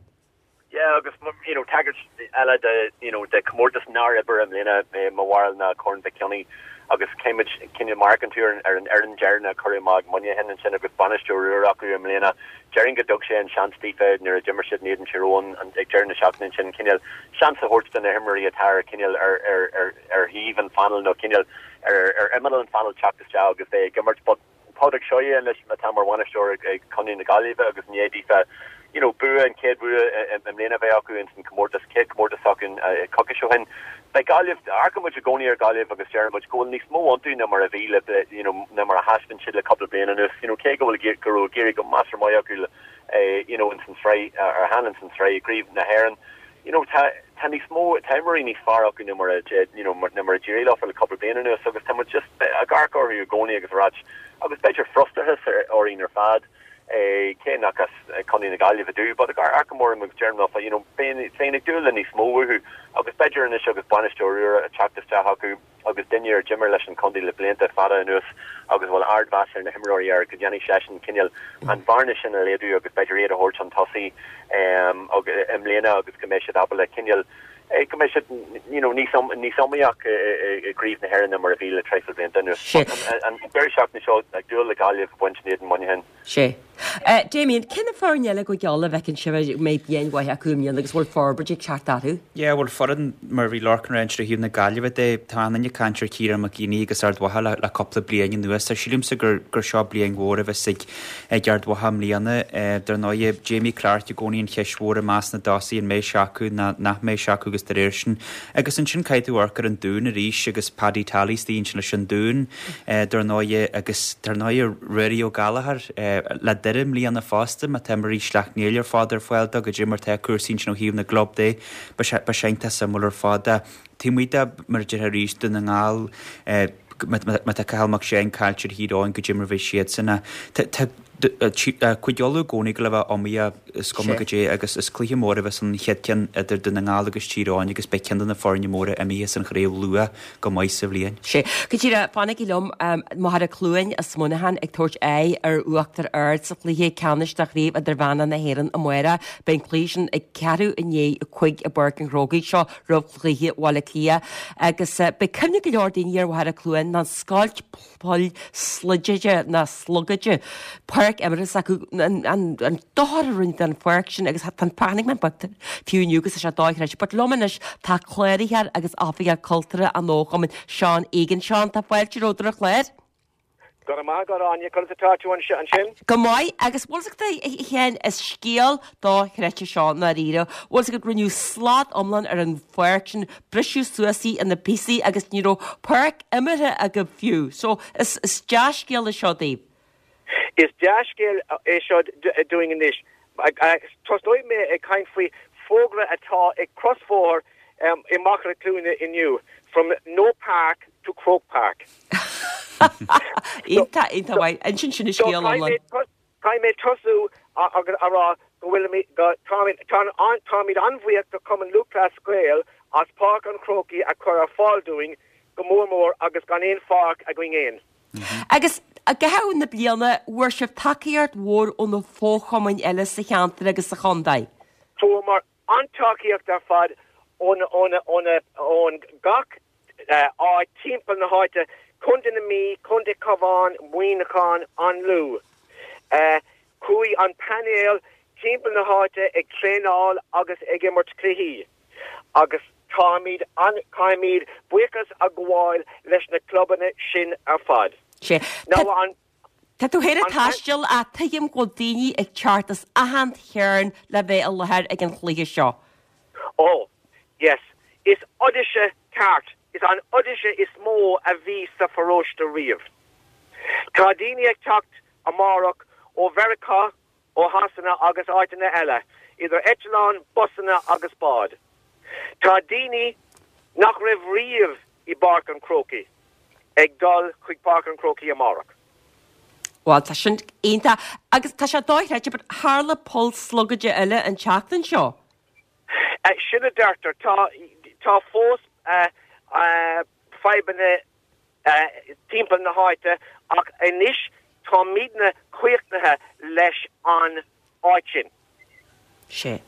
Yeah, agus you know, tagairt eile de you know, de comórtas nár oibrigh i mbliana mo bharúil ná Corn Mhic Cionnaith agus caithfidh muid cineál amharc ar ar an fhoireann deireanach a cuireadh amach ag Muineachán ansin agus bainisteoir úr acu i mbliana. Déarfainn go dtug sé an seans daofa nuair a d'imir siad in éadan Tír Eoghain ag deireadh na seachtaine ansin cineál seans a thabhairt do na himreoirí atá ar cineál ar ar ar ar thaobh an phainéil nó cineál ar ar imeall an phainéil teacht isteach agus bheith ag imirt but Pádraig Seoighe anois atá mar bhainisteoir ag Contae na Gaillimhe agus i ndiaidh daofa you know, bua an chéad bhua i mbliana bheith acu in san comórtas céad comórtas acu coicís ó shin. Beidh Gaillimh amharcann muid i gcónaí ar Gaillimh agus deireann muid go bhfuil níos mó iontu ná mar a bhí le you know, ná mar a thaispeáin siad le cúpla bliain anuas. You know, cé go bhfuil go raibh ag éirí go measartha maith acu eh, you know, in san sraith ar han in san sraith i gCraobh na hÉireann. You know, tá tá níos mó tá imreoirí níos fearr acu ná mar a you know, ná mar a d'éirigh leo le cúpla bliain anuas agus tá muid just ag amharc orthu i gcónaí agus rá agus b'fhéidir frustrachas ar orainn ar fad. Eh, cé nach as Contae na Gaillimhe dú, but amharcaim orthu agus deirim you know, féin ag dúil le níos mó uathu agus b'fhéidir anois agus bainisteoir úr ag teacht isteach acu agus duine ar d'imir leis an chontae le blianta fada anuas agus bhfuil ardmheas ar na himreoirí air go ndéanfaidh seisean cineál an bhearna sin a laghdú agus b'fhéidir iad a thabhairt chun tosaigh um, i mbliana agus go mbeidh siad ábalta cineál eh, go mbeidh siad you know, níos níos iomaíoch i gCraobh na hÉireann mar a bhí le traidhfil blianta anuas. An deireadh seachtaine seo ag dúil le Gaillimh baint in éadan Muineachán. Sé. Uh, Damien, cé na foirne eile go geall a bhfeiceann sibh mbeidh bliain mhaith acu i mbliana agus bhfuil forbairt ag teacht orthu? Yeah, bhuel foireann mar bhí Lorcan ag caint ó thaobh na Gaillimhe de tá an caint ar Ciarán Mac Éanaigh agus Ard Mhacha le, le cúpla bliain anuas tá sílimse gur gur seo bliain mhór a bheas ag ag Ard Mhacha i mbliana eh, dar ndóigh Jamie Clarke i gcónaí an cheist mhór i measc na dtosaithe an mbeidh sé acu ná nach mbeidh sé acu agus de réir sin. Agus ansin caithfidh tú amharc ar an Dún arís agus Paddy Tally istigh leis an Dún eh, dar ndóigh agus dar ndóigh Ruairí Ó Gallchóir eh, le Doire Doire i mbliana fosta, má tá imreoirí Shleacht Néill ar fad ar fáil dó, goidé mar tá cúrsaí ansin ó thaobh na gclub de, beidh sé beidh sé iontach suimiúil ar fad. Taobh amuigh de, mar a déarfá arís, Dún na nGall, má tá Cathal Mac Seáin caillte ar Thír Eoghain, goidé mar a bheidh siadsan. Tá Cúige Uladh i gcónaí ag gabháil a bheith iomaíoch is cuma goidé agus is cluiche mór a bheas an chéad ceann idir Dún na nGall agus Tír Eoghain agus beidh ceann de na foirne móra imithe as an chraobh luath go maith sa bhliain. Sea. Go díreach, fanaigí liom, Machaire Cluain as Muineachán ag tabhairt aghaidh ar Uachtar Ard sa chluiche ceannais de Chraobh Idirmheánach na hÉireann amárach. Beidh an cluiche sin ag ceathrú i ndiaidh a cúig i bPáirc an Chrócaigh seo roimh chluiche Bhaile Átha Cliath agus beidh cuimhne go leor daoine ar Mhachaire Cluain ná an scoilt poill slogaide ná slogaide páirc imeartha s'acu an dochar a rinneadh don pháirc sin agus tá an chonaic mé an pictiúr fiú inniu agus tá sé dochreidte. But liom anois tá cláraitheoir agus oifigeach cultúrtha an fhochumainn, Seán Egan. Seán, tá fáilte romhat ar an chlár. Go raibh maith agat, Áine. Conas atá tú ansin? Go maith, agus bhfuil 's agat a Sheáin, is scéal dochreidte seo i ndáiríre. Bhfuil 's agat, rinneadh slad iomlán ar an pháirc sin, briseadh suas í ina píosaí agus ní raibh páirc imeartha agaibh fiú. So, is is dea-scéal é seo daoibh. Is dea-scéal é seo dúinn anois. Tosnóidh mé ag caint faoi fógra atá ag crosbhóthar i Machaire Cluana inniu, From No Park to Croke Park. Iontach, iontach maith. Ansin sin an scéal iomlán. Caithfidh mé tosú agus a rá go bhfuilimid, go, táimid, táimid an-bhuíoch do Chumann Lúthchleas Gael as Páirc an Chrócaigh a chur ar fáil dúinn, go mór mór agus gan aon pháirc againn fhéin. Agus i gcaitheamh na bliana, bhfuair sibh tacaíocht mhór ó na fochumainn eile sa cheantar agus sa chontae? Fuaireamar an-tacaíocht ar fad ó na, ó na, ó na, ón gach áit timpeall na háite, Contae na Mí, Contae Cabhán, Muineachán, an Lú. Chuaigh an painéal timpeall na háite ag traenáil agus ag imirt cluichí agus táimid an, caithfimid buíochas a ghabháil leis na clubanna sin ar fad. Sea. Now an. Tá tú féin ag taisteal ach tuigim go bhfuil daoine ag teacht as achan chearn le bheith i láthair ag an chluiche seo. Oh, yes. Is oidise ceart, is an oidise is mó a bhí sa pharóiste riamh. Tá daoine ag teacht amárach ó Mheiriceá, ó Shasana agus áiteanna eile, idir eitleáin, busanna agus báid. Tá daoine nach raibh riamh i bPáirc an Chrócaigh ag dul chuig Páirc an Chrócaigh amárach. Bhuel, tá sin iontach. Agus tá sé dochreidte, but tharla poll slogaide eile an tseachtain seo. Sin a deirtear. Tá, tá fós fadhbanna timpeall na háite ach anois táimidne críochnaithe leis an áit sin. Sea.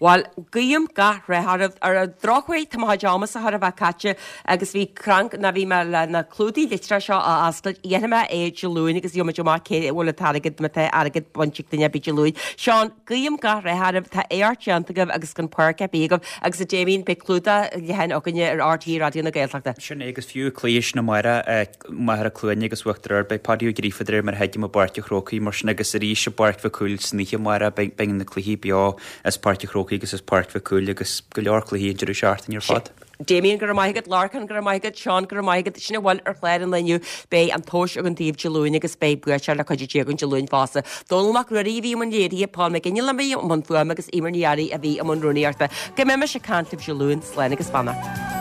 Bhuel, guím gach rath oraibh. Ar an drochuair, tá mo chuid ama-sa chóir a bheith caite agus bhí crank ná bhí mé le na clúdaigh litreach seo a oscailt. Dhéanfaidh mé é Dé Luain agus gheobhaidh muid amach cé a bhfuil an t-airgead, má tá airgead bainte ag duine ar bith Dé Luain. Seán, guím gach rath oraibh. Tá éacht déanta agaibh agus gan páirc ar bith agaibh. Agus a Damien, beidh clúdach leathan againne ar RTÉ Raidió na Gaeltachta. Sin é agus fiú cluiche sin amárach, Machaire Cluana agus Uachtar Ard, beidh Paddy Ó Gríofa de réir mar a thuigim i bPáirc an Chrócaigh mar sin agus arís i bPáirc Mhic Cumhaill san oíche amárach beidh beidh na cluichí beo as Páirc an Chrócaigh agus as Páirc Mhic Cumhaill agus go leor cluichí an deireadh seachtaine ar fad. Damien, go raibh maith agat, Lorcán, go raibh maith agat, Seán, go raibh maith agat. Sin a bhfuil ar chlár an lae inniu. Beidh an tomhas againn daoibh Dé Luain agus beidh buaiteoir le cuidiú Dé againn Dé Luain fosta. Dónall Mac Ruairí a bhí i mbun léirithe, Paul McGinley a bhí i mbun fuaime agus Eimear Ní Fhearraigh a bhí i mbun rúnaíochta. Go mbeimis ag caint libh Dé Luain, slán agus beannacht.